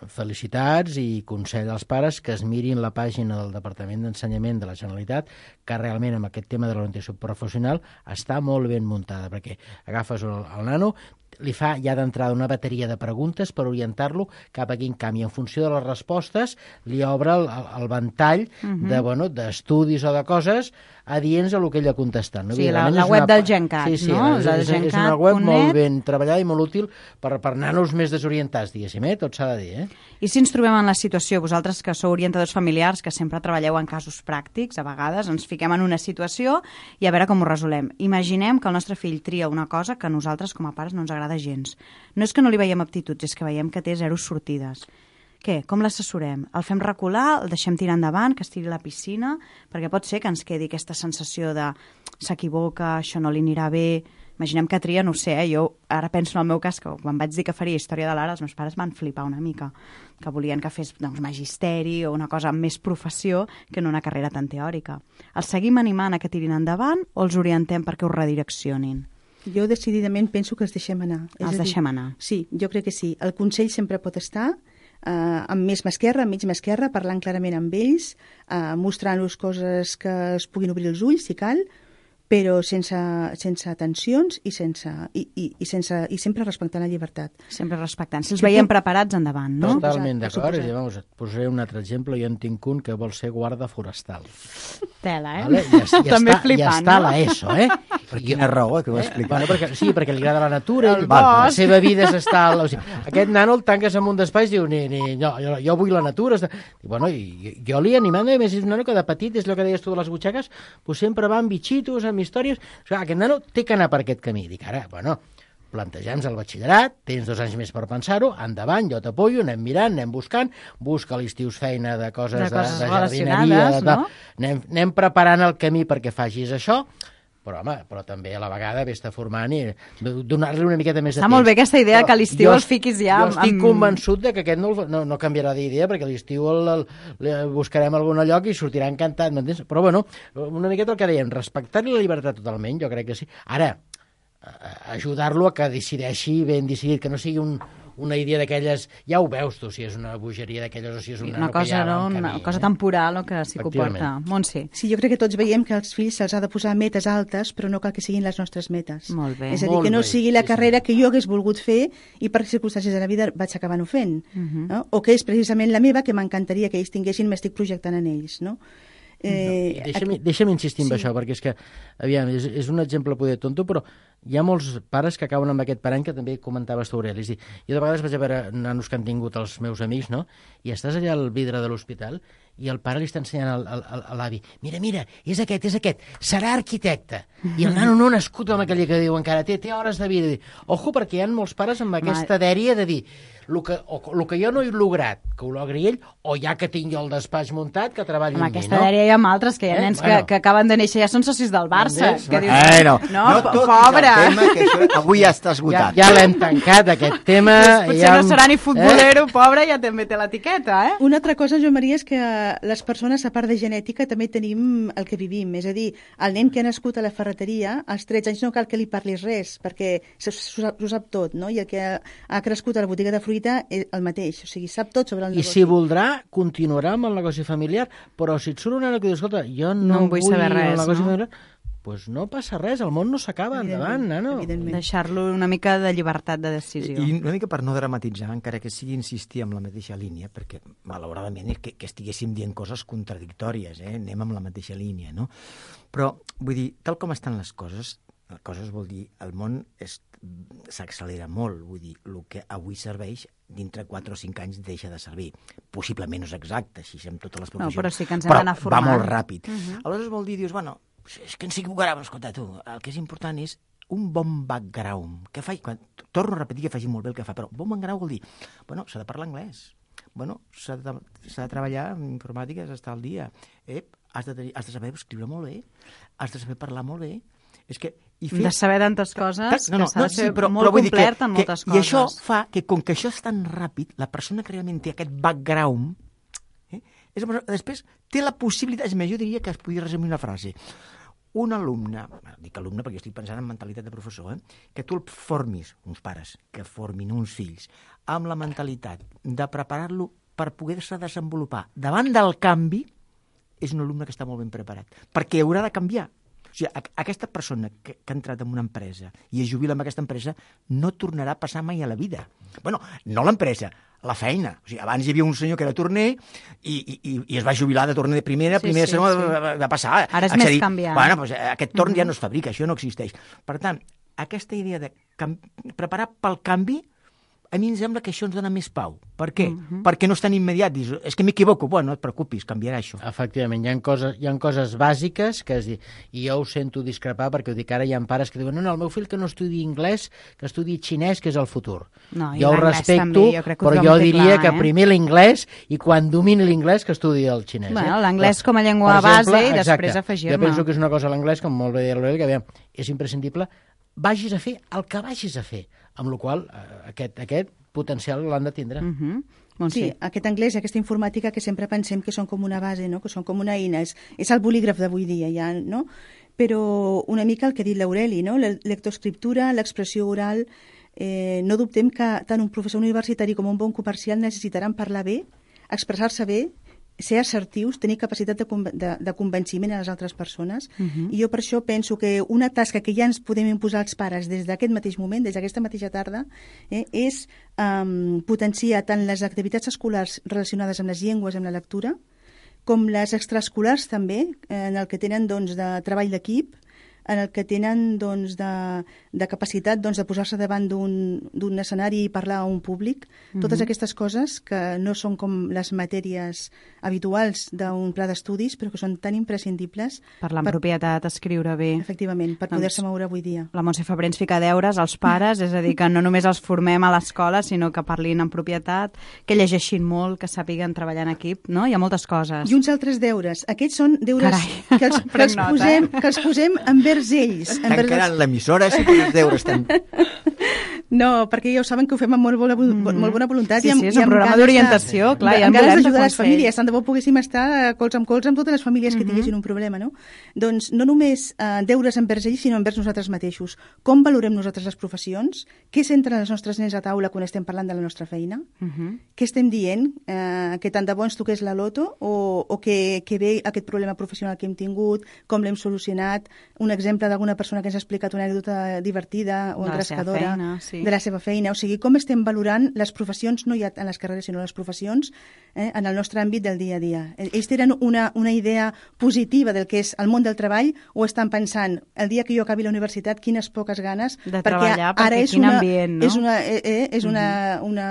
Felicitats i consell als pares que es mirin la pàgina del Departament d'Ensenyament de la Generalitat, que realment amb aquest tema de l'orientació professional està molt ben muntada, perquè agafes el, el nano, li fa ja d'entrada una bateria de preguntes per orientar-lo cap a quin camp, i en funció de les respostes li obre el, el, el ventall Mhm. de, bueno, d'estudis o de coses adients a el que ell ha contestat. No? Sí, la- Evidentment la és web una del pa- GenCat, sí, sí, no? És, La és, és una gencat web punt molt net. ben treballada i molt útil per, per nanos més desorientats, diguéssim, eh? Tot s'ha de dir, eh? I si ens trobem en la situació, vosaltres que sou orientadors familiars, que sempre treballeu en casos pràctics, a vegades ens fiquem en una situació i a veure com ho resolem. Imaginem que el nostre fill tria una cosa que a nosaltres com a pares no ens agrada gens. No és que no li veiem aptituds, és que veiem que té zero sortides. Què? Com l'assessorem? El fem recular? El deixem tirar endavant? Que es tiri a la piscina? Perquè pot ser que ens quedi aquesta sensació de s'equivoca, això no li anirà bé... imaginem que tria, no ho sé, eh, jo ara penso en el meu cas, que quan vaig dir que faria història de l'art, els meus pares van flipar una mica, que volien que fes doncs, magisteri o una cosa amb més professió que no una carrera tan teòrica. Els seguim animant a que tirin endavant o els orientem perquè us redireccionin? Jo decididament penso que els deixem anar. Els És deixem dir, anar. Sí, jo crec que sí. El consell sempre pot estar eh, amb més mà esquerra, amb mig mà esquerra, parlant clarament amb ells, eh, mostrant-los coses que es puguin obrir els ulls, si cal, però sense, sense tensions i, sense, i, i, i, sense, i sempre respectant la llibertat. Sempre respectant. Si els veiem preparats, endavant, no? Totalment Per d'acord. suposat. I, vamos, et posaré un altre exemple. Jo en tinc un que vol ser guarda forestal. Tela, eh? Vale? Ja, ja, També està, flipant, ja està no? a l'ESO, eh? Per quina raó, que ho Eh? explicat? Bueno, perquè, sí, perquè li agrada la natura, El ell, la bosc. seva vida és estar... Al, o sigui, aquest nano el tanques en un despatx i diu, ni, ni, no, jo, jo vull la natura. Està... I, bueno, i, jo li animant, a més, és un nano que de petit, és el que deies tu de les butxaques, pues sempre va amb bitxitos, amb històries... O sigui, aquest nano té que anar per aquest camí. Dic, ara, bueno, planteja'ns el batxillerat, tens dos anys més per pensar-ho, endavant, jo t'apoyo, anem mirant, anem buscant, busca a l'estiu feina de coses de, De coses de jardineria, relacionades, de, no? anem, anem preparant el camí perquè facis això, però, home, però també a la vegada vés-te formant i donar-li una miqueta més de Està temps. molt bé aquesta idea Però que a l'estiu jo el fiquis ja Jo amb- estic amb- convençut de que aquest no, el- no, no canviarà d'idea, perquè a l'estiu el, el, el, buscarem algun lloc i sortirà encantat, m'entens? Però, bueno, una miqueta el que dèiem, respectar-li la llibertat totalment, jo crec que sí. Ara, ajudar-lo a que decideixi ben decidit, que no sigui un, una idea d'aquelles, ja ho veus tu, si és una bogeria d'aquelles o si és un Una nano que cosa, ja va no? en Una camí, cosa eh? temporal o que s'hi comporta. Efectivament. Montse. Sí, jo crec que tots veiem que als fills se'ls ha de posar metes altes, però no cal que siguin les nostres metes. Molt bé. És a dir, Molt que no bé, sigui la sí, carrera que jo hagués volgut fer i per circumstàncies de la vida vaig acabant ho fent. no? O que és precisament la meva, que m'encantaria que ells tinguessin, m'estic projectant en ells. No? Eh, Deixa'm, aquí- deixa'm insistir en Sí. això, perquè és que, aviam, és, és un exemple poder tonto, però hi ha molts pares que acaben amb aquest parany que també comentaves tu, Aureli. És a dir, jo de vegades vaig a veure nanos que han tingut els meus amics, no? I estàs allà al vidre de l'hospital i el pare li està ensenyant al, al, al, a l'avi, mira, mira, és aquest, és aquest, serà arquitecte. I el nano no ha nascut amb aquella que diu encara, té, té hores de vida. Ojo, perquè hi ha molts pares amb aquesta dèria de dir, el que, o, el que jo no he lograt, que ho logri ell, o ja que tinc jo el despatx muntat, que treballi Amb amb mi, aquesta no? dèria hi ha altres, que hi ha Eh? nens Bueno. que, que acaben de néixer ja són socis del Barça. Entens? Que dius, Eh, no, no, no po- toquis pobre. el tema, que això avui ja està Ja, esgotat. ja l'hem tancat, aquest tema. Potser ja no hem- serà ni futbolero, eh? pobre, ja també té l'etiqueta, eh? Una altra cosa, Joan Maria, és que les persones, a part de genètica, també tenim el que vivim. És a dir, el nen que ha nascut a la ferreteria, als tretze anys no cal que li parlis res, perquè s'ho s'ho sap, sap tot, no? I el que ha, ha crescut a la botiga de fruita és el mateix, o sigui, sap tot sobre el I negoci. si voldrà, continuarà amb el negoci familiar, però si et surt un nano que diu, escolta, jo no, No en vull saber el res, negoci no? familiar, doncs no passa res, el món no s'acaba, endavant, nano. Evidentment. Deixar-lo una mica de llibertat de decisió. I una mica per no dramatitzar, encara que sigui insistir en la mateixa línia, perquè malauradament és que, que estiguéssim dient coses contradictòries, eh? Anem amb la mateixa línia, no? Però, vull dir, tal com estan les coses, les coses vol dir, el món és- s'accelera molt, vull dir, el que avui serveix, dintre quatre o cinc anys deixa de servir. Possiblement no és exacte, així amb totes les previsions. però sí que ens hem d'anar va formant. molt ràpid. Uh -huh. Aleshores vol dir, dius, bueno, és que ens equivocarem, escolta, tu, el que és important és un bon background, que faci, quan, torno a repetir que faci molt bé el que fa, però bon background vol dir, bueno, s'ha de parlar anglès, bueno, s'ha de, s'ha de treballar en informàtica, s'ha d'estar al dia, eh? has, de, tenir- has de saber escriure molt bé, has de saber parlar molt bé, és que... I De saber tantes coses, Ta- que s'ha de ser molt vull dir complet en moltes I coses. això fa que, com que això és tan ràpid, la persona que realment té aquest background, eh, és una persona, després té la possibilitat, és més, jo diria que es podria resumir una frase. Un alumne, bueno, dic alumne perquè estic pensant en mentalitat de professor, eh, que tu el formis, uns pares, que formin uns fills, amb la mentalitat de preparar-lo per poder-se desenvolupar davant del canvi, és un alumne que està molt ben preparat, perquè haurà de canviar. O sigui, aquesta persona que, que ha entrat en una empresa i es jubila en aquesta empresa no tornarà a passar mai a la vida. Bueno, no l'empresa, la feina. O sigui, abans hi havia un senyor que era torner i, i, i es va jubilar de torner de primera, Sí, primera, sí, segona, sí. va, va passar. Ara és Accedir. més canviant. Bueno, doncs, aquest torn ja no es fabrica, això no existeix. Per tant, aquesta idea de cam- preparar pel canvi, a mi em sembla que això ens dona més pau. Per què? Uh-huh. Perquè no és tan immediat. Dius, és que m'equivoco. Bueno, no et preocupis, canviarà això. Efectivament, hi ha coses, hi ha coses bàsiques que es di... i jo ho sento discrepar perquè ho dic ara, hi ha pares que diuen no, no, el meu fill que no estudi anglès, que estudi xinès, que és el futur. No, i jo ho l'anglès respecto, també, jo crec que ho però tothom jo té diria clar, que eh? primer l'inglès i quan domini l'inglès que estudi el xinès. Bueno, eh? l'anglès Però, com a llengua per exemple, base i després exacte, afegir-ne. Jo penso que és una cosa a l'anglès, com molt bé deia l'Aureli, que aviam, és imprescindible vagis a fer el que vagis a fer, amb la qual cosa eh, aquest, aquest potencial l'han de tindre. Uh -huh. Bon, sí, sí, aquest anglès i aquesta informàtica que sempre pensem que són com una base, no? Que són com una eina, és, és el bolígraf d'avui dia, ja, no? Però una mica el que ha dit l'Aureli, no? La lectoescriptura, l'expressió oral, eh, no dubtem que tant un professor universitari com un bon comercial necessitaran parlar bé, expressar-se bé, ser assertius, tenir capacitat de, de, de convenciment a les altres persones. Uh -huh. I jo per això penso que una tasca que ja ens podem imposar als pares des d'aquest mateix moment, des d'aquesta mateixa tarda, eh, és um, potenciar tant les activitats escolars relacionades amb les llengües, amb la lectura, com les extraescolars també, en el que tenen doncs, de treball d'equip, en el que tenen doncs, de, de capacitat doncs, de posar-se davant d'un escenari i parlar a un públic. Mm-hmm. Totes aquestes coses que no són com les matèries habituals d'un pla d'estudis, però que són tan imprescindibles. Parlar amb per... propietat, escriure bé. Efectivament, per doncs, poder-se moure avui dia. La Montse Febrer ens fica deures als pares, és a dir, que no només els formem a l'escola, sinó que parlin en propietat, que llegeixin molt, que sàpiguen treballar en equip, no? Hi ha moltes coses. I uns altres deures. Aquests són deures Carai. que els, que els nota, posem, eh? que els posem envers ells. Tancaran l'emissora si els deures estan... No, perquè ja ho saben que ho fem amb molt bona, mm -hmm. molt bona voluntat. Sí, i amb, sí, és i un amb programa d'orientació, clar, de, i amb en ganes volem d'ajudar de les consell. famílies. Tant de bo poguéssim estar colze amb colze amb totes les famílies que Mm-hmm. tinguessin un problema, no? Doncs no només eh, deures envers ells, sinó envers nosaltres mateixos. Com valorem nosaltres les professions? Què centren els nostres nens a taula quan estem parlant de la nostra feina? Mm-hmm. Què estem dient? Eh, que tant de bo ens toqués la loto o, o que, que bé aquest problema professional que hem tingut, com l'hem solucionat, un exemple d'alguna persona que ens ha explicat una anècdota divertida o De la seva engrescadora feina, sí. de la seva feina. O sigui, com estem valorant les professions, no ja en les carreres, sinó les professions eh, en el nostre àmbit del dia a dia. Ells tenen una, una idea positiva del que és el món del treball o estan pensant, el dia que jo acabi la universitat, quines poques ganes, de perquè treballar, ara perquè és quin una, ambient, no? és una, eh, eh, és una, una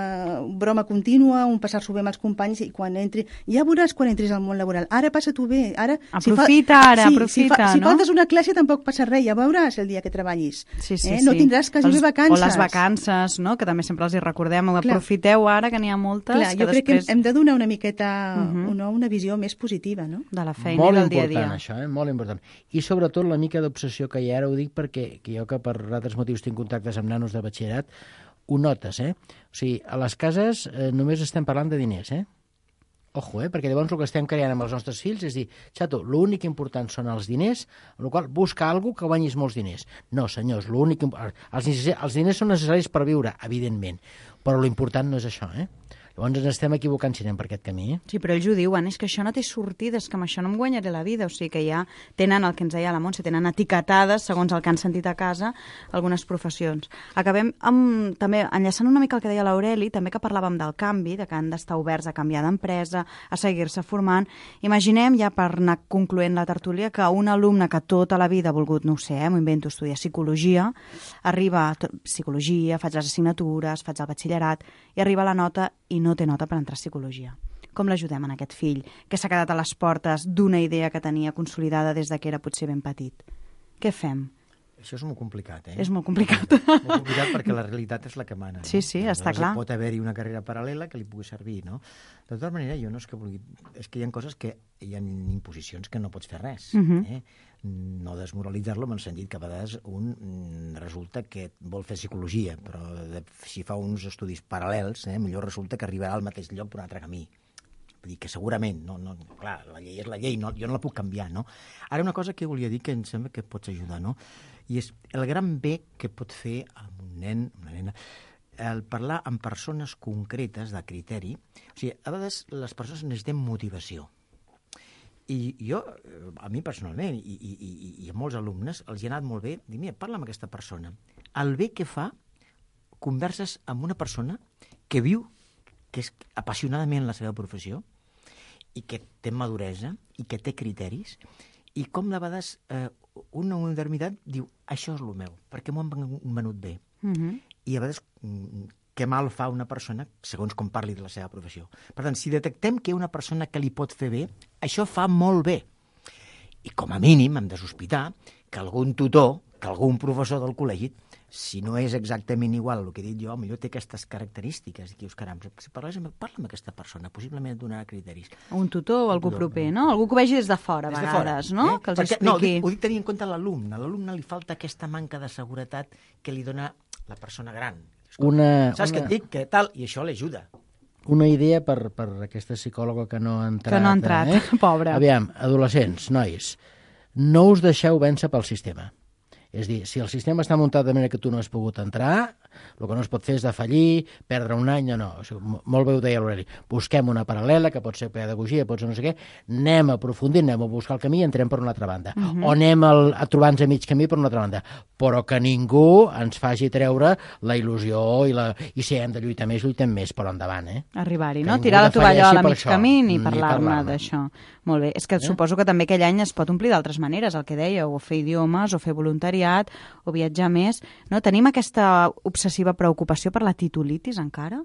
broma contínua, un passar-s'ho bé amb els companys i quan entri, ja veuràs quan entris al món laboral, ara passa-t'ho bé, ara... Aprofita, si fa, ara, sí, aprofita, si, fa, si no? faltes una classe tampoc passa res, ja veuràs el dia que treballis. Sí, sí, eh? sí. No tindràs quasi bé vacances. O les vacances, no? Que també sempre els hi recordem. Aprofiteu ara, que n'hi ha moltes. Clar, que jo crec després... que hem de donar una miqueta Uh -huh. una, una visió més positiva, no? De la feina molt i del dia a dia. Molt important, això, eh? Molt important. I sobretot la mica d'obsessió que hi ha, ara ho dic perquè que jo que per altres motius tinc contactes amb nanos de batxillerat, ho notes, eh? O sigui, a les cases eh, només estem parlant de diners, eh? Ojo, eh? Perquè llavors el que estem creant amb els nostres fills és dir, xato, l'únic important són els diners, amb la qual cosa busca alguna que guanyis molts diners. No, senyors, l'únic... Els, els diners són necessaris per viure, evidentment, però l'important no és això, eh? Llavors ens estem equivocant si anem per aquest camí. Eh? Sí, però ells ho diuen, és que això no té sortida, és que amb això no em guanyaré la vida. O sigui que ja tenen, el que ens deia la Montse, tenen etiquetades, segons el que han sentit a casa, algunes professions. Acabem amb, també, enllaçant una mica el que deia l'Aureli, també que parlàvem del canvi, de que han d'estar oberts a canviar d'empresa, a seguir-se formant. Imaginem, ja per anar concloent la tertúlia, que un alumne que tota la vida ha volgut, no ho sé, eh, m'ho invento, estudiar psicologia, arriba a psicologia, faig les assignatures, faig el batxillerat, i arriba la nota i no té nota per entrar a psicologia. Com l'ajudem en aquest fill que s'ha quedat a les portes d'una idea que tenia consolidada des de que era potser ben petit? Què fem? Això és molt complicat, eh? És molt complicat. Molt complicat perquè la realitat és la que mana. No? Sí, sí, està clar. Pot haver-hi una carrera paral·lela que li pugui servir, no? De tota manera, jo no és que vulgui... És que hi ha coses que... Hi ha imposicions que no pots fer res. Uh -huh. eh? No desmoralitzar-lo en el sentit que a vegades un resulta que vol fer psicologia, però de, si fa uns estudis paral·lels, eh, millor resulta que arribarà al mateix lloc per un altre camí. Vull dir que segurament, no, no, clar, la llei és la llei, no, jo no la puc canviar, no? Ara una cosa que volia dir que em sembla que pots ajudar, no? I és el gran bé que pot fer amb un nen, una nena, el parlar amb persones concretes de criteri. O sigui, a vegades les persones necessitem motivació. I jo, a mi personalment, i, i, i, i a molts alumnes, els hi ha anat molt bé dir, mira, parla amb aquesta persona. El bé que fa, converses amb una persona que viu, que és apassionadament la seva professió, i que té maduresa, i que té criteris, i com de vegades eh, una modernitat diu, això és el meu, perquè m'ho han venut bé. Uh -huh. I a vegades què mal fa una persona segons com parli de la seva professió. Per tant, si detectem que hi ha una persona que li pot fer bé, això fa molt bé. I com a mínim hem de sospitar que algun tutor, que algun professor del col·legi si no és exactament igual el que he dit jo, potser té aquestes característiques. I dius, caram, si parles amb, parla amb aquesta persona, possiblement et donarà criteris. Un tutor o algú tutor, proper, no? Algú que ho vegi des de fora, a Des de vegades, fora, no? Eh? Que els Perquè, expliqui... no, ho dic, ho dic tenint en compte l'alumne. A l'alumne li falta aquesta manca de seguretat que li dona la persona gran. Una, Saps una... què et dic? Que tal? I això l'ajuda. Una idea per, per aquesta psicòloga que no ha entrat. Que no ha entrat, eh? pobra. Aviam, adolescents, nois, no us deixeu vèncer pel sistema. És dir, si el sistema està muntat de manera que tu no has pogut entrar, el que no es pot fer és defallir, perdre un any, no, no. O sigui, molt bé ho deia l'Aureli. Busquem una paral·lela, que pot ser pedagogia, pot ser no sé què, anem a aprofundir, anem a buscar el camí i entrem per una altra banda. Uh -huh. O anem al, a trobar-nos a mig camí per una altra banda. Però que ningú ens faci treure la il·lusió i, la, i si hem de lluitar més, lluitem més, però endavant, eh? Arribar-hi, Que no? ningú Tirar la tovallola a defalleixi per mig això, camí ni ni parlar-ne parlar-ne. d'això. Molt bé. És que Eh? suposo que també aquell any es pot omplir d'altres maneres, el que dèieu, o fer idiomes, o fer voluntariat, o viatjar més. No? Tenim aquesta obsessiva preocupació per la titulitis encara?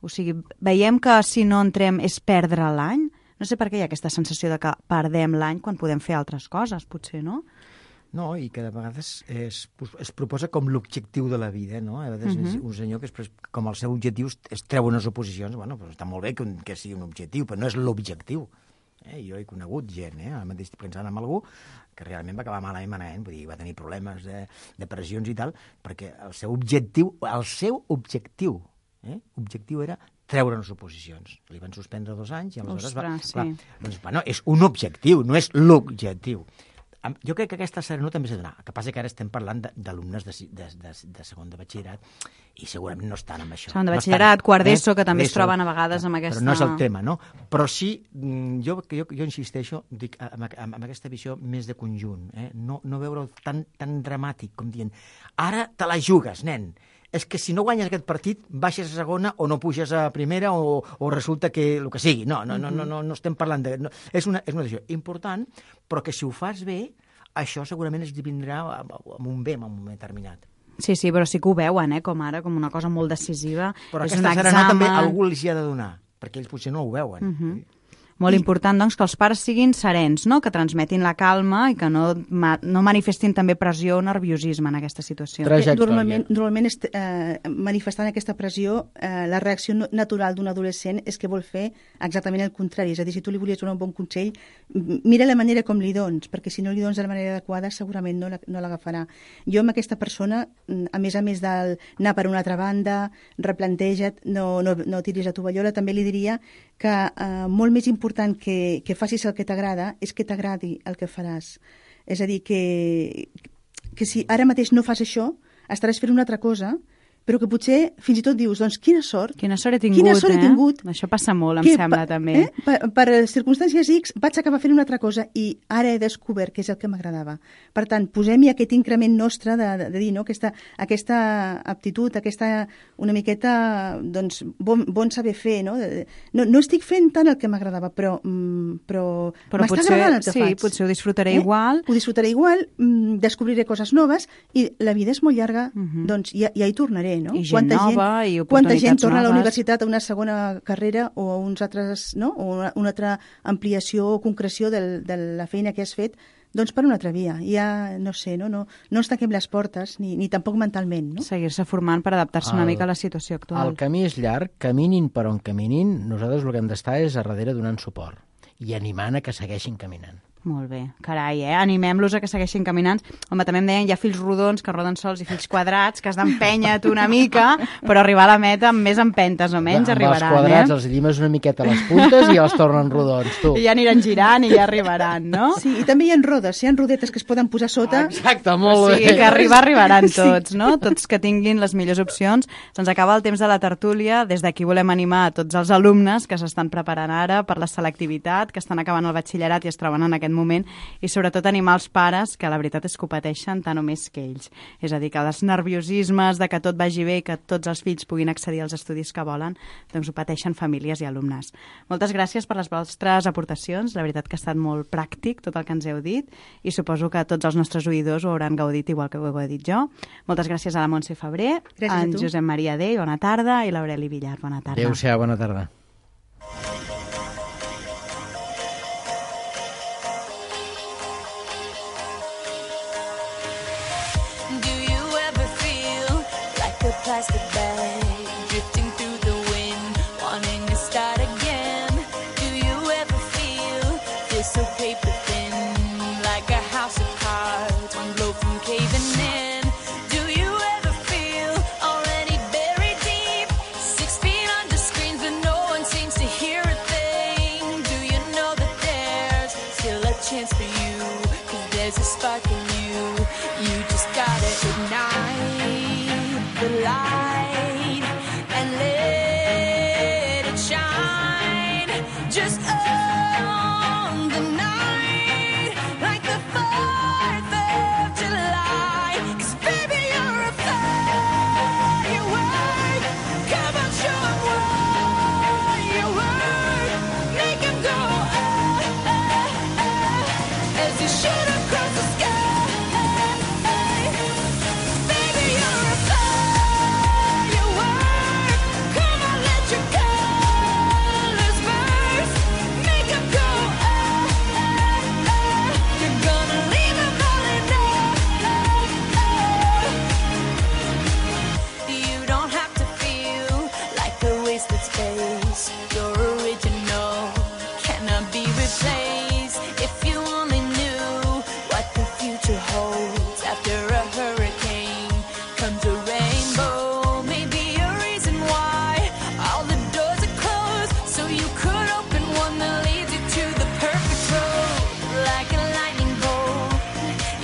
O sigui, veiem que si no entrem és perdre l'any? No sé per què hi ha aquesta sensació de que perdem l'any quan podem fer altres coses, potser, no? No, i que de vegades es, es proposa com l'objectiu de la vida, no? A vegades uh -huh. un senyor que es, com el seu objectiu es treu unes oposicions, bueno, doncs està molt bé que, que sigui un objectiu, però no és l'objectiu. Eh? Jo he conegut gent, eh? Ara mateix estic pensant en algú que realment va acabar malament, malament, vull dir, va tenir problemes de depressions i tal, perquè el seu objectiu, el seu objectiu, eh? objectiu era treure unes oposicions. Li van suspendre dos anys i aleshores Ostres, va... sí. Clar, doncs, bueno, és un objectiu, no és l'objectiu. Jo crec que aquesta serenor també s'ha de donar. El que passa que ara estem parlant d'alumnes de, de, de, de segon de batxillerat i segurament no estan amb això. Segon de no batxillerat, estan, quart d'ESO, que també eh? es troben a vegades amb aquesta... Però no és el tema, no? Però sí, jo, jo, jo insisteixo dic, amb, amb, amb aquesta visió més de conjunt, eh? no, no veure-ho tan, tan dramàtic com dient ara te la jugues, nen. És que si no guanyes aquest partit, baixes a segona o no puges a primera o, o resulta que el que sigui. No, no, no, no, no, no estem parlant de... No, és, una, és una decisió important, però que si ho fas bé, això segurament es vindrà amb un bé en un moment determinat. Sí, sí, però sí que ho veuen, eh, com ara, com una cosa molt decisiva. Però és aquesta un serenor també examen... algú els hi ha de donar, perquè ells potser no ho veuen. Uh -huh. Molt important, doncs, que els pares siguin serens, no? Que transmetin la calma i que no, ma no manifestin també pressió o nerviosisme en aquesta situació. Trajectòria. Normalment, normalment est, eh, manifestant aquesta pressió, eh, la reacció natural d'un adolescent és que vol fer exactament el contrari. És a dir, si tu li volies donar un bon consell, mira la manera com li dones, perquè si no li dones de la manera adequada segurament no l'agafarà. Jo amb aquesta persona, a més a més d'anar per una altra banda, replanteja't, no, no, no tiris la tovallola, també li diria que eh, molt més important que, que facis el que t'agrada és que t'agradi el que faràs. És a dir, que, que si ara mateix no fas això, estaràs fent una altra cosa, però que potser fins i tot dius, doncs quina sort. Quina sort he tingut, quina sort eh? he tingut. Això passa molt, em que, sembla, pa, també. Eh? Per, per circumstàncies X vaig acabar fent una altra cosa i ara he descobert que és el que m'agradava. Per tant, posem-hi aquest increment nostre de, de, de dir, no? aquesta, aquesta aptitud, aquesta una miqueta, doncs, bon, bon saber fer, no? No, no estic fent tant el que m'agradava, però, mm, però, però m'està potser, agradant el que sí, faig. potser ho disfrutaré eh? igual. Ho disfrutaré igual, mm, descobriré coses noves i la vida és molt llarga, uh -huh. doncs ja, ja hi tornaré, no? I gent Quanta nova gent, i quanta gent oportunitats torna a la noves. universitat a una segona carrera o a uns altres, no? o una, una altra ampliació o concreció del, de la feina que has fet, doncs per una altra via. Ja, no sé, no, no, no ens tanquem les portes, ni, ni tampoc mentalment. No? Seguir-se formant per adaptar-se una mica a la situació actual. El camí és llarg, caminin per on caminin, nosaltres el que hem d'estar és a darrere donant suport i animant a que segueixin caminant. Molt bé, carai, eh? Animem-los a que segueixin caminant. Home, també em deien, hi ha fills rodons que roden sols i fills quadrats, que has d'empènyer tu una mica, però arribar a la meta amb més empentes o menys Amb arribaran, els quadrats eh? els llimes una miqueta a les puntes i els tornen rodons, tu. I ja aniran girant i ja arribaran, no? Sí, i també hi ha rodes, hi ha rodetes que es poden posar sota. Exacte, molt O sigui, bé. que arribar arribaran tots, no? Tots que tinguin les millors opcions. Se'ns acaba el temps de la tertúlia. Des d'aquí volem animar a tots els alumnes que s'estan preparant ara per la selectivitat, que estan acabant el batxillerat i es troben en aquest moment, i sobretot animar els pares, que la veritat és que ho pateixen tant o més que ells. És a dir, que els nerviosismes de que tot vagi bé i que tots els fills puguin accedir als estudis que volen, doncs ho pateixen famílies i alumnes. Moltes gràcies per les vostres aportacions. La veritat que ha estat molt pràctic tot el que ens heu dit i suposo que tots els nostres oïdors ho hauran gaudit igual que ho he dit jo. Moltes gràcies a la Montse Febrer, Gràcies a en tu. Josep Maria Dell, bona tarda, i l'Aureli Villar, bona tarda. Adéu-siau, bona tarda. Do you ever feel plastic bag, drifting through the wind, wanting to start again. Do you ever feel, feel so paper thin, like a house of cards, one blow from caving in? Do you ever feel already buried deep, six feet under screens but no one seems to hear a thing? Do you know that there's still a chance for you, 'cause there's a spark in you, you just gotta ignite the light and let it shine. Just own the night like the fourth of July. 'Cause baby, you're a firework. Come on, show 'em what you work. Make 'em go ah, ah, ah, as you shoot across the sky. Baby, you're a firework. Come on, let your colors burst. Make 'em go ah, ah, ah. You're gonna leave 'em all in love. You don't have to feel like a wasted space. You're original, cannot be replaced. If you only knew what the future holds after a hurricane comes a rainbow. Maybe a reason why all the doors are closed, so you could open one that leads you to the perfect road. Like a lightning bolt,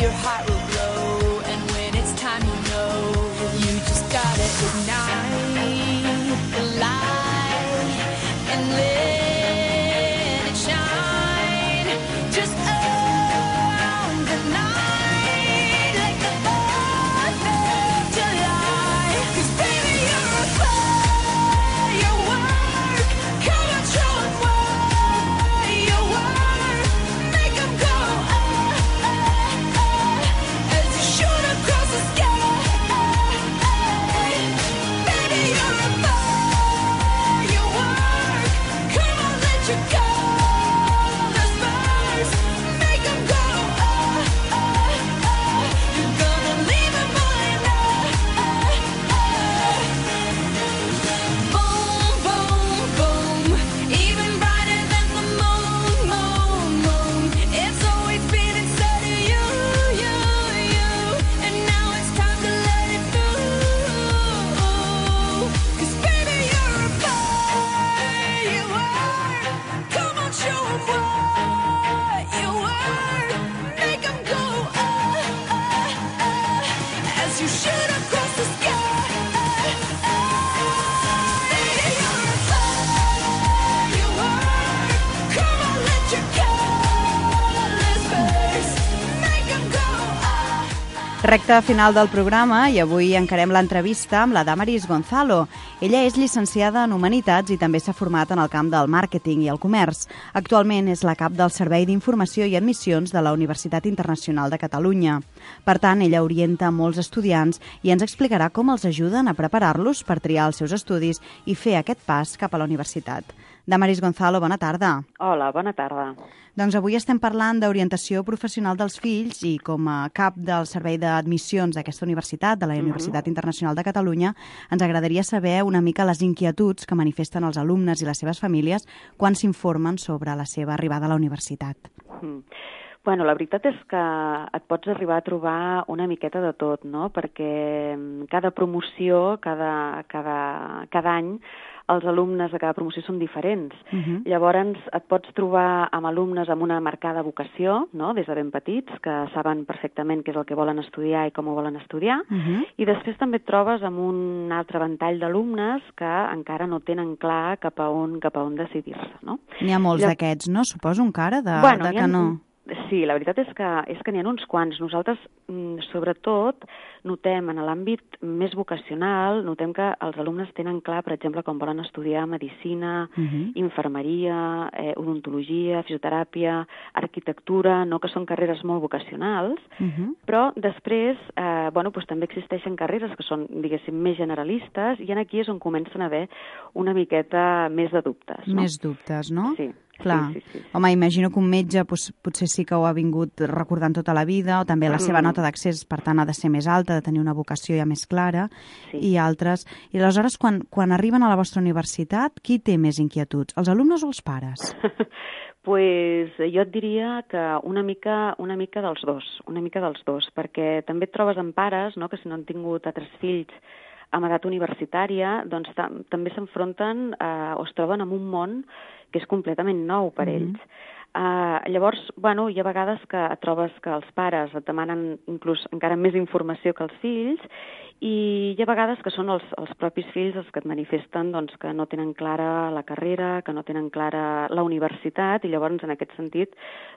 your heart will glow, and when it's time, you know you just gotta ignite the light and let it shine. Just own the night like the fourth of July. 'Cause baby, you're a firework. Come on, show 'em what you work. Make 'em go ah, ah, ah, as you shoot across the sky. Baby, you're a firework. Come on, let your colors burst. Make 'em go ah, ah, ah. You're gonna leave 'em all in love. Boom, boom, boom. Even brighter than the moon, moon, moon. It's always been inside of you, you, you. And now it's time to let it through. 'Cause baby, you're a firework. Come on, show 'em what you work. Make 'em go ah, ah, ah, as you shoot across the sky. Baby, you're a firework. Come on, let your colors burst. Make 'em go ah. Recte final del programa i avui encarem l'entrevista amb la Damaris Gonzalo. Ella és llicenciada en Humanitats i també s'ha format en el camp del màrqueting i el comerç. Actualment és la cap del Servei d'Informació i Admissions de la Universitat Internacional de Catalunya. Per tant, ella orienta molts estudiants i ens explicarà com els ajuden a preparar-los per triar els seus estudis i fer aquest pas cap a la universitat. Damaris Gonzalo, bona tarda. Hola, bona tarda. Doncs avui estem parlant d'orientació professional dels fills i com a cap del Servei d'Admissions d'aquesta universitat, de la Universitat Internacional de Catalunya, ens agradaria saber una mica les inquietuds que manifesten els alumnes i les seves famílies quan s'informen sobre la seva arribada a la universitat. Mm. Bueno, la veritat és que et pots arribar a trobar una miqueta de tot, no? Perquè cada promoció, cada, cada, cada any, els alumnes de cada promoció són diferents. Uh-huh. Llavors et pots trobar amb alumnes amb una marcada vocació, no? Des de ben petits, que saben perfectament què és el que volen estudiar i com ho volen estudiar, uh-huh. I després també et trobes amb un altre ventall d'alumnes que encara no tenen clar cap a on, cap a on decidir-se, no? N'hi ha molts Llavors... d'aquests, no? Suposo encara de, bueno, de que no... Sí, la veritat és que, és que n'hi ha uns quants. Nosaltres, sobretot, notem en l'àmbit més vocacional, notem que els alumnes tenen clar, per exemple, com volen estudiar medicina, uh-huh. infermeria, eh, odontologia, fisioteràpia, arquitectura, no, que són carreres molt vocacionals, uh-huh. però després, eh, bueno, doncs també existeixen carreres que són, diguéssim, més generalistes, i aquí és on comencen a haver una miqueta més de dubtes. No? Més dubtes, no? Sí. Clar. Sí, sí, sí. Home, imagino que un metge doncs, potser sí que ho ha vingut recordant tota la vida, o també la seva Mm. nota d'accés, per tant, ha de ser més alta, ha de tenir una vocació ja més clara, Sí. i altres. I aleshores, quan, quan arriben a la vostra universitat, qui té més inquietuds, els alumnes o els pares? Pues jo et diria que una mica, una mica dels dos, una mica dels dos, perquè també et trobes amb pares, no?, que si no han tingut altres fills amb edat universitària, doncs tam també s'enfronten eh, o es troben en un món que és completament nou per Mhm. ells. Uh, llavors, bueno, hi ha vegades que et trobes que els pares et demanen inclús encara més informació que els fills, i hi ha vegades que són els, els propis fills els que et manifesten doncs, que no tenen clara la carrera, que no tenen clara la universitat, i llavors en aquest sentit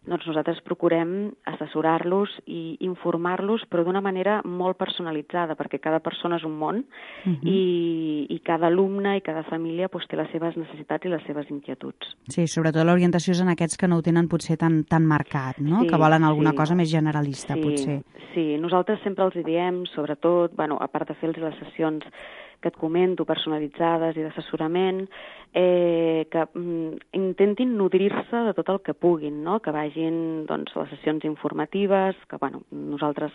doncs, nosaltres procurem assessorar-los i informar-los, però d'una manera molt personalitzada, perquè cada persona és un món, Mhm. i, i cada alumne i cada família doncs, té les seves necessitats i les seves inquietuds. Sí, sobretot l'orientació és en aquests que no ho tenen potser tan, tan marcat, no? Sí, Que volen alguna sí. cosa més generalista, Sí, potser. sí, nosaltres sempre els hi diem, sobretot, bueno, a part de fer les sessions que et comento, personalitzades i d'assessorament, eh, que mm, intentin nodrir-se de tot el que puguin, no? Que vagin doncs, a les sessions informatives, que bueno, nosaltres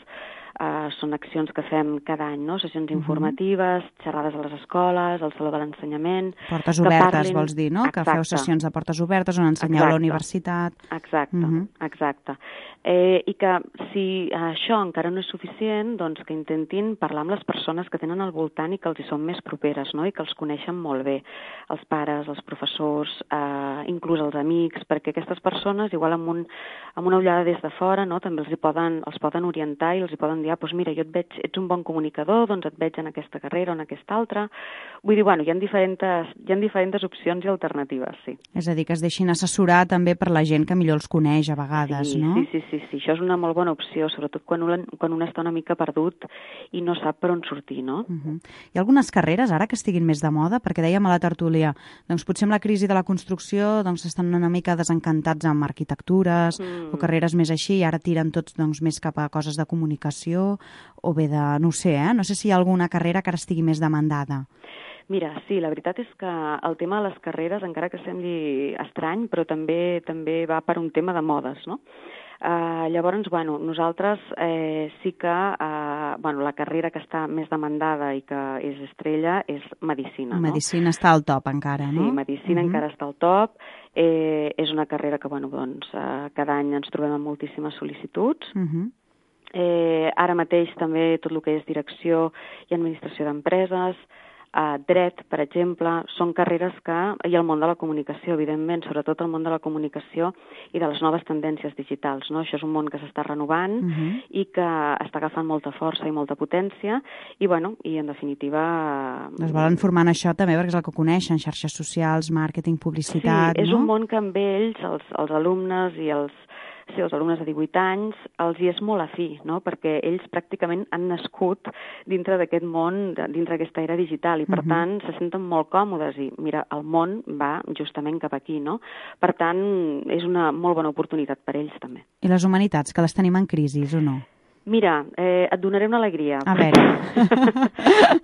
eh, són accions que fem cada any, no? Sessions Mhm. informatives, xerrades a les escoles, al Saló de l'Ensenyament... Portes que obertes, parlin- vols dir, no? Que feu Exacte. sessions de portes obertes on ensenyeu a la Exacte. universitat. Exacte, Mhm. exacte. Eh, I que si això encara no és suficient, doncs que intentin parlar amb les persones que tenen al voltant i que els hi són més properes, no?, i que els coneixen molt bé, els pares, els professors, eh, inclús els amics, perquè aquestes persones, igual amb, un, amb una ullada des de fora, no?, també els hi poden, els poden orientar i els hi poden dir, ah, doncs mira, jo et veig, ets un bon comunicador, doncs et veig en aquesta carrera o en aquesta altra. Vull dir, bueno, hi ha diferents, hi ha diferents opcions i alternatives, sí. És a dir, que es deixin assessorar també per la gent que millor els coneix a vegades, Sí, no? sí, sí, sí, sí, això és una molt bona opció, sobretot quan un, quan un està una mica perdut i no sap per on sortir, no? Uh-huh. Hi ha algunes carreres ara que estiguin més de moda? Perquè dèiem a la tertúlia, doncs potser amb la crisi de la construcció doncs estan una mica desencantats amb arquitectures Mm. o carreres més així, i ara tiren tots doncs, més cap a coses de comunicació o bé de, no ho sé, eh? No sé si hi ha alguna carrera que ara estigui més demandada. Mira, sí, la veritat és que el tema de les carreres, encara que sembli estrany, però també també va per un tema de modes, no? Uh, llavors, bueno, nosaltres eh, sí que uh, bueno, la carrera que està més demandada i que és estrella és Medicina. Medicina està al top encara, no? no? Sí, Medicina Uh-huh. encara està al top. Eh, és una carrera que, bueno, doncs, uh, cada any ens trobem amb moltíssimes sol·licituds. Uh-huh. Eh, ara mateix també tot el que és direcció i administració d'empreses, eh, dret, per exemple, són carreres que... i el món de la comunicació, evidentment, sobretot el món de la comunicació i de les noves tendències digitals, no? Això és un món que s'està renovant Uh-huh. i que està agafant molta força i molta potència i, bueno, i en definitiva... Es volen formar en això també perquè és el que coneixen, xarxes socials, màrqueting, publicitat, sí, és no? un món que amb ells, els, els alumnes i els, sí, els alumnes de divuit anys, els hi és molt afí, no? Perquè ells pràcticament han nascut dintre d'aquest món, de- dintre d'aquesta era digital, i per Mhm. tant se senten molt còmodes, i mira, el món va justament cap aquí, no? Per tant, és una molt bona oportunitat per ells també. I les humanitats, que les tenim en crisi, o no? Mira, eh, et donaré una alegria. A veure.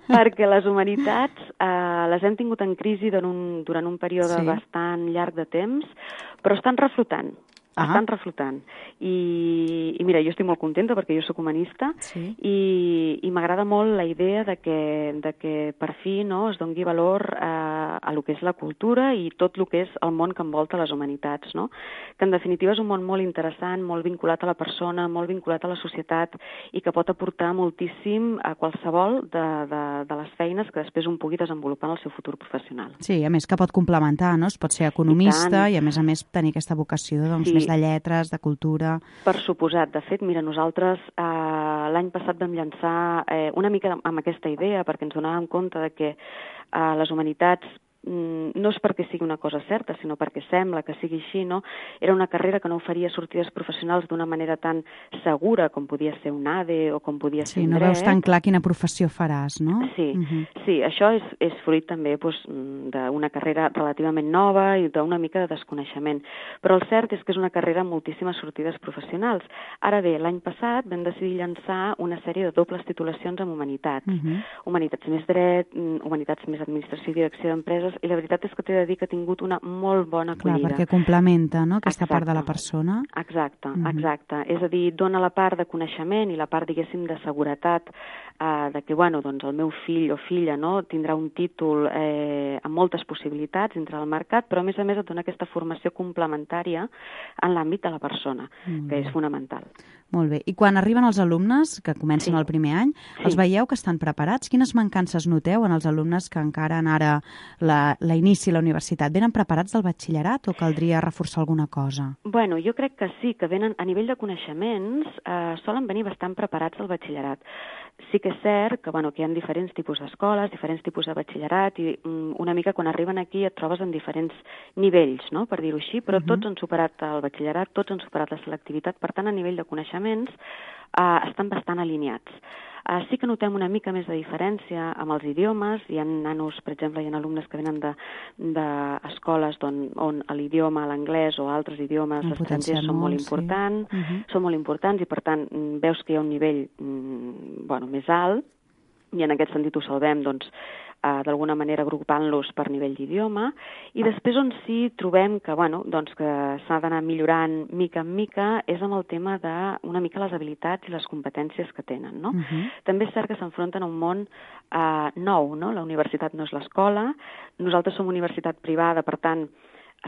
Perquè les humanitats eh, les hem tingut en crisi durant un, durant un període Sí. bastant llarg de temps, però estan reflotant. Ah. Estan reflotant. I, I mira, jo estic molt contenta perquè jo sóc humanista Sí. i, i m'agrada molt la idea de que, de que per fi no, es doni valor a, a lo que és la cultura i tot el que és el món que envolta les humanitats, no? Que en definitiva és un món molt interessant, molt vinculat a la persona, molt vinculat a la societat i que pot aportar moltíssim a qualsevol de, de, de les feines que després un pugui desenvolupar en el seu futur professional. Sí, a més que pot complementar, no? Es pot ser economista I i, tant. a més a més tenir aquesta vocació doncs, Sí. més de lletres, de cultura... Per suposat. De fet, mira, nosaltres eh, l'any passat vam llançar eh, una mica amb aquesta idea perquè ens donàvem compte de que eh, les humanitats mm, no és perquè sigui una cosa certa, sinó perquè sembla que sigui així, no? Era una carrera que no oferia sortides professionals d'una manera tan segura com podia ser un A D E o com podia ser Sí, un no dret. veus tan clar quina professió faràs, no? Sí, Mhm. sí, això és, és fruit també doncs, d'una carrera relativament nova i d'una mica de desconeixement. Però el cert és que és una carrera amb moltíssimes sortides professionals. Ara bé, l'any passat vam decidir llançar una sèrie de dobles titulacions en humanitats. Mhm. Humanitats més dret, mm, humanitats més administració i direcció d'empreses, coses, i la veritat és que t'he de dir que ha tingut una molt bona Clar, acollida. perquè complementa, no?, aquesta Exacte. part de la persona. Exacte, Mhm. exacte. És a dir, dona la part de coneixement i la part, diguéssim, de seguretat eh, de que, bueno, doncs el meu fill o filla, no?, tindrà un títol eh, amb moltes possibilitats dintre del mercat, però a més a més et dona aquesta formació complementària en l'àmbit de la persona, Mm. que és fonamental. Molt bé. I quan arriben els alumnes, que comencen Sí. el primer any, els Sí. veieu que estan preparats? Quines mancances noteu en els alumnes que encaren ara la, la inici a la universitat? Venen preparats del batxillerat o caldria reforçar alguna cosa? Bueno, jo crec que sí, que venen a nivell de coneixements, eh, solen venir bastant preparats al batxillerat. Sí que és cert que, bueno, que hi ha diferents tipus d'escoles, diferents tipus de batxillerat, i mm, una mica quan arriben aquí et trobes en diferents nivells, no?, per dir-ho així, però Mhm. tots han superat el batxillerat, tots han superat la selectivitat, per tant, a nivell de coneixements eh, estan bastant alineats. Uh, sí que notem una mica més de diferència amb els idiomes. Hi ha nanos, per exemple, hi ha alumnes que venen d'escoles de, on, on l'idioma, l'anglès o altres idiomes Han estrangers són molt potenciat molt, sí. importants, Mhm. són molt importants i, per tant, mm, veus que hi ha un nivell mm, bueno, més alt, i en aquest sentit ho salvem, doncs, eh, d'alguna manera agrupant-los per nivell d'idioma, i després on sí trobem que, bueno, doncs que s'ha d'anar millorant mica en mica és amb el tema de una mica les habilitats i les competències que tenen, no? Mhm. També és cert que s'enfronten a un món eh, nou, no? La universitat no és l'escola, nosaltres som universitat privada, per tant,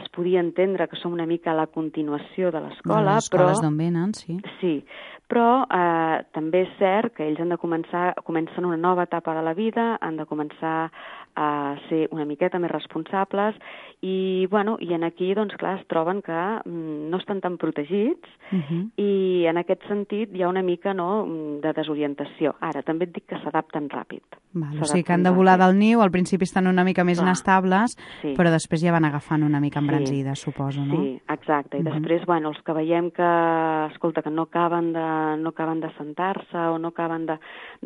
es podia entendre que som una mica la continuació de l'escola, Les però... escoles d'on venen, sí. Sí, però eh, també és cert que ells han de començar, comencen una nova etapa de la vida, han de començar a ser una miqueta més responsables i, bueno, i en aquí, doncs, clar, es troben que mm, no estan tan protegits Mhm. i en aquest sentit hi ha una mica, no, de desorientació. Ara, també et dic que s'adapten ràpid. Val, o sigui que han de volar del niu, al principi estan una mica més Clar, inestables, sí. però després ja van agafant una mica Sí. embranzida, suposo, no? Sí, exacte. I Mhm. després, bueno, els que veiem que, escolta, que no acaben de, no acaben de sentar-se o no acaben de-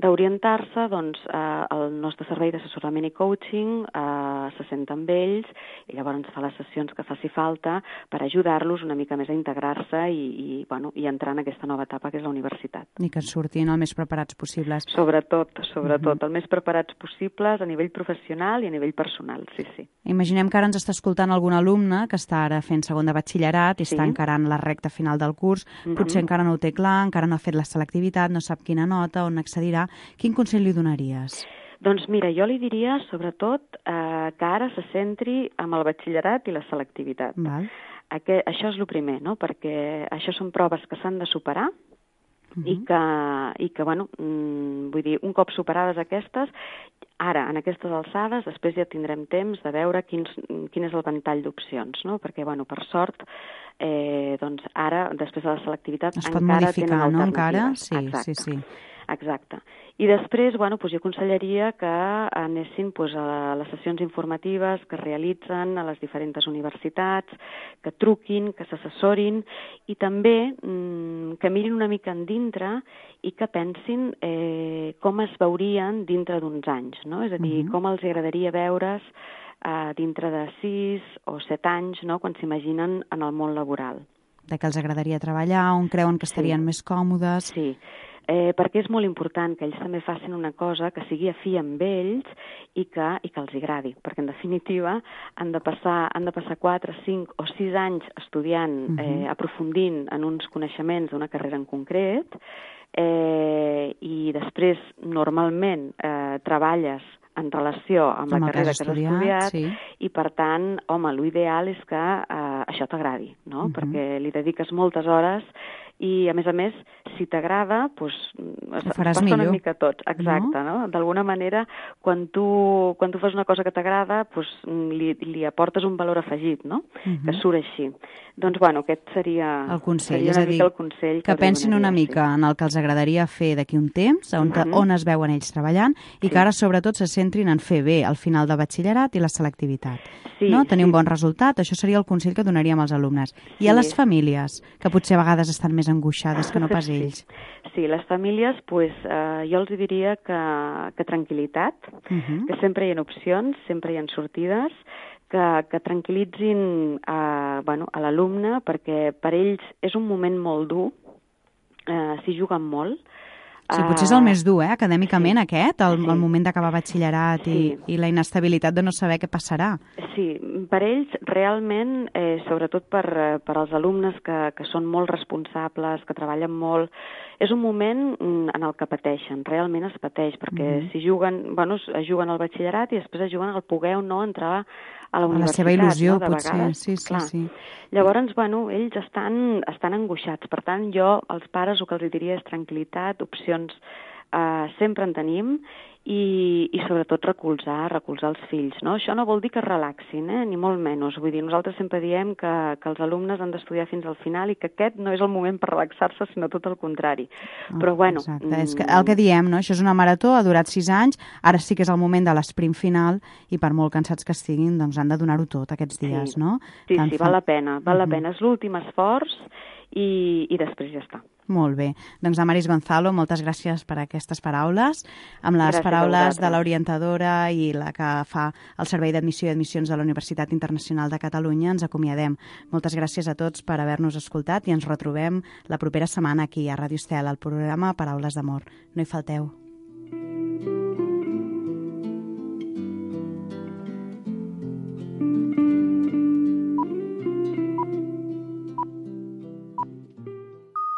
d'orientar-se, doncs eh, el nostre servei d'assessorament i coaching eh, se senta amb ells i llavors ens fa les sessions que faci falta per ajudar-los una mica més a integrar-se i, i, bueno, i entrar en aquesta nova etapa que és la universitat. I que en surtin el més preparats possibles. Sobretot, sobretot, Mhm. el més preparats possibles a nivell professional i a nivell personal, sí, sí. Imaginem que ara ens està escoltant algun alumne que està ara fent segon de batxillerat i Sí. està encarant la recta final del curs, Mhm. potser encara no ho té clar, encara no ha fet la selectivitat, no sap quina nota, on accedirà. Quin consell li donaries? Doncs mira, jo li diria, sobretot, eh, que ara se centri amb el batxillerat i la selectivitat. Val. Aqu això és el primer, no?, perquè això són proves que s'han de superar Mhm. i que, i que bueno, mm, vull dir, un cop superades aquestes, ara, en aquestes alçades, després ja tindrem temps de veure quins, quin és el ventall d'opcions, no?, perquè, bueno, per sort, eh, doncs ara, després de la selectivitat, Es pot encara modificar, tenen no?, encara? alternatives. Sí, Exacte. sí, sí. Exacte. I després, bueno, doncs jo aconsellaria que anessin doncs, a les sessions informatives que es realitzen a les diferents universitats, que truquin, que s'assessorin i també mmm, que mirin una mica en dintre i que pensin eh, com es veurien dintre d'uns anys, no? És a dir, Mhm. com els agradaria veure's eh, dintre de sis o set anys, no?, quan s'imaginen en el món laboral. De què els agradaria treballar, on creuen que estarien Sí. més còmodes. Sí, eh, perquè és molt important que ells també facin una cosa que sigui afí amb ells i que, i que els agradi, perquè en definitiva han de passar, han de passar quatre, cinc o sis anys estudiant, Mhm. eh, aprofundint en uns coneixements d'una carrera en concret, eh, i després normalment eh, treballes en relació amb, Amb la el que has carrera que has estudiat, estudiat, sí. i per tant, home, l'ideal és que eh, això t'agradi, no? Mhm. Perquè li dediques moltes hores i, a més a més, si t'agrada, doncs, es, Ho es faràs passa millor, una mica tot. Exacte, no? no? D'alguna manera, quan tu, quan tu fas una cosa que t'agrada, doncs, li, li aportes un valor afegit, no? Mhm. Que surt així. Doncs, bueno, aquest seria, El consell, seria és una a dir, mica el consell que els pensin una donaria, mica en el que els agradaria fer d'aquí un temps, on, Mhm. on es veuen ells treballant, i Sí. que ara sobretot se centrin en fer bé el final de batxillerat i la selectivitat. Sí, no? Tenir sí. un bon resultat, això seria el consell que donaríem als alumnes. I Sí. a les famílies, que potser a vegades estan més angoixades que no pas ells. Sí, sí, les famílies, pues, eh, jo els diria que, que tranquil·litat, Mhm. que sempre hi ha opcions, sempre hi ha sortides, que, que tranquil·litzin a, bueno, a l'alumne, perquè per ells és un moment molt dur, eh, s'hi juguen molt, Sí, potser és el més dur, eh, acadèmicament, sí. aquest, el, Sí. el moment d'acabar batxillerat Sí. i, i la inestabilitat de no saber què passarà. Sí, per ells realment, eh, sobretot per, eh, per als alumnes que, que són molt responsables, que treballen molt, és un moment mm, en el que pateixen, realment es pateix, perquè Mhm. si juguen, bueno, es juguen al batxillerat i després es juguen al poder o no entrar a la A la universitat. seva il·lusió, no? De potser, vegades, sí, sí, clar. sí. Llavors, bueno, ells estan, estan angoixats. Per tant, jo, als pares, el que els diria és tranquil·litat, opcions eh, sempre en tenim, i, i sobretot recolzar, recolzar els fills. No? Això no vol dir que es relaxin, eh? Ni molt menys. Vull dir, nosaltres sempre diem que, que els alumnes han d'estudiar fins al final i que aquest no és el moment per relaxar-se, sinó tot el contrari. Oh, Però, bueno... Exacte, és que el que diem, no? Això és una marató, ha durat sis anys, ara sí que és el moment de l'esprint final i per molt cansats que estiguin, doncs han de donar-ho tot aquests dies, sí. no? Sí, Tant sí, fa- val la pena, val Mhm. la pena. És l'últim esforç i, i després ja està. Molt bé. Doncs Damaris Gonzalo, moltes gràcies per aquestes paraules. Amb les Gràcies a paraules de vosaltres. l'orientadora i la que fa el Servei d'Admissió i Admissions de la Universitat Internacional de Catalunya, ens acomiadem. Moltes gràcies a tots per haver-nos escoltat i ens retrobem la propera setmana aquí a Ràdio Estel, al programa Paraules d'Amor. No hi falteu.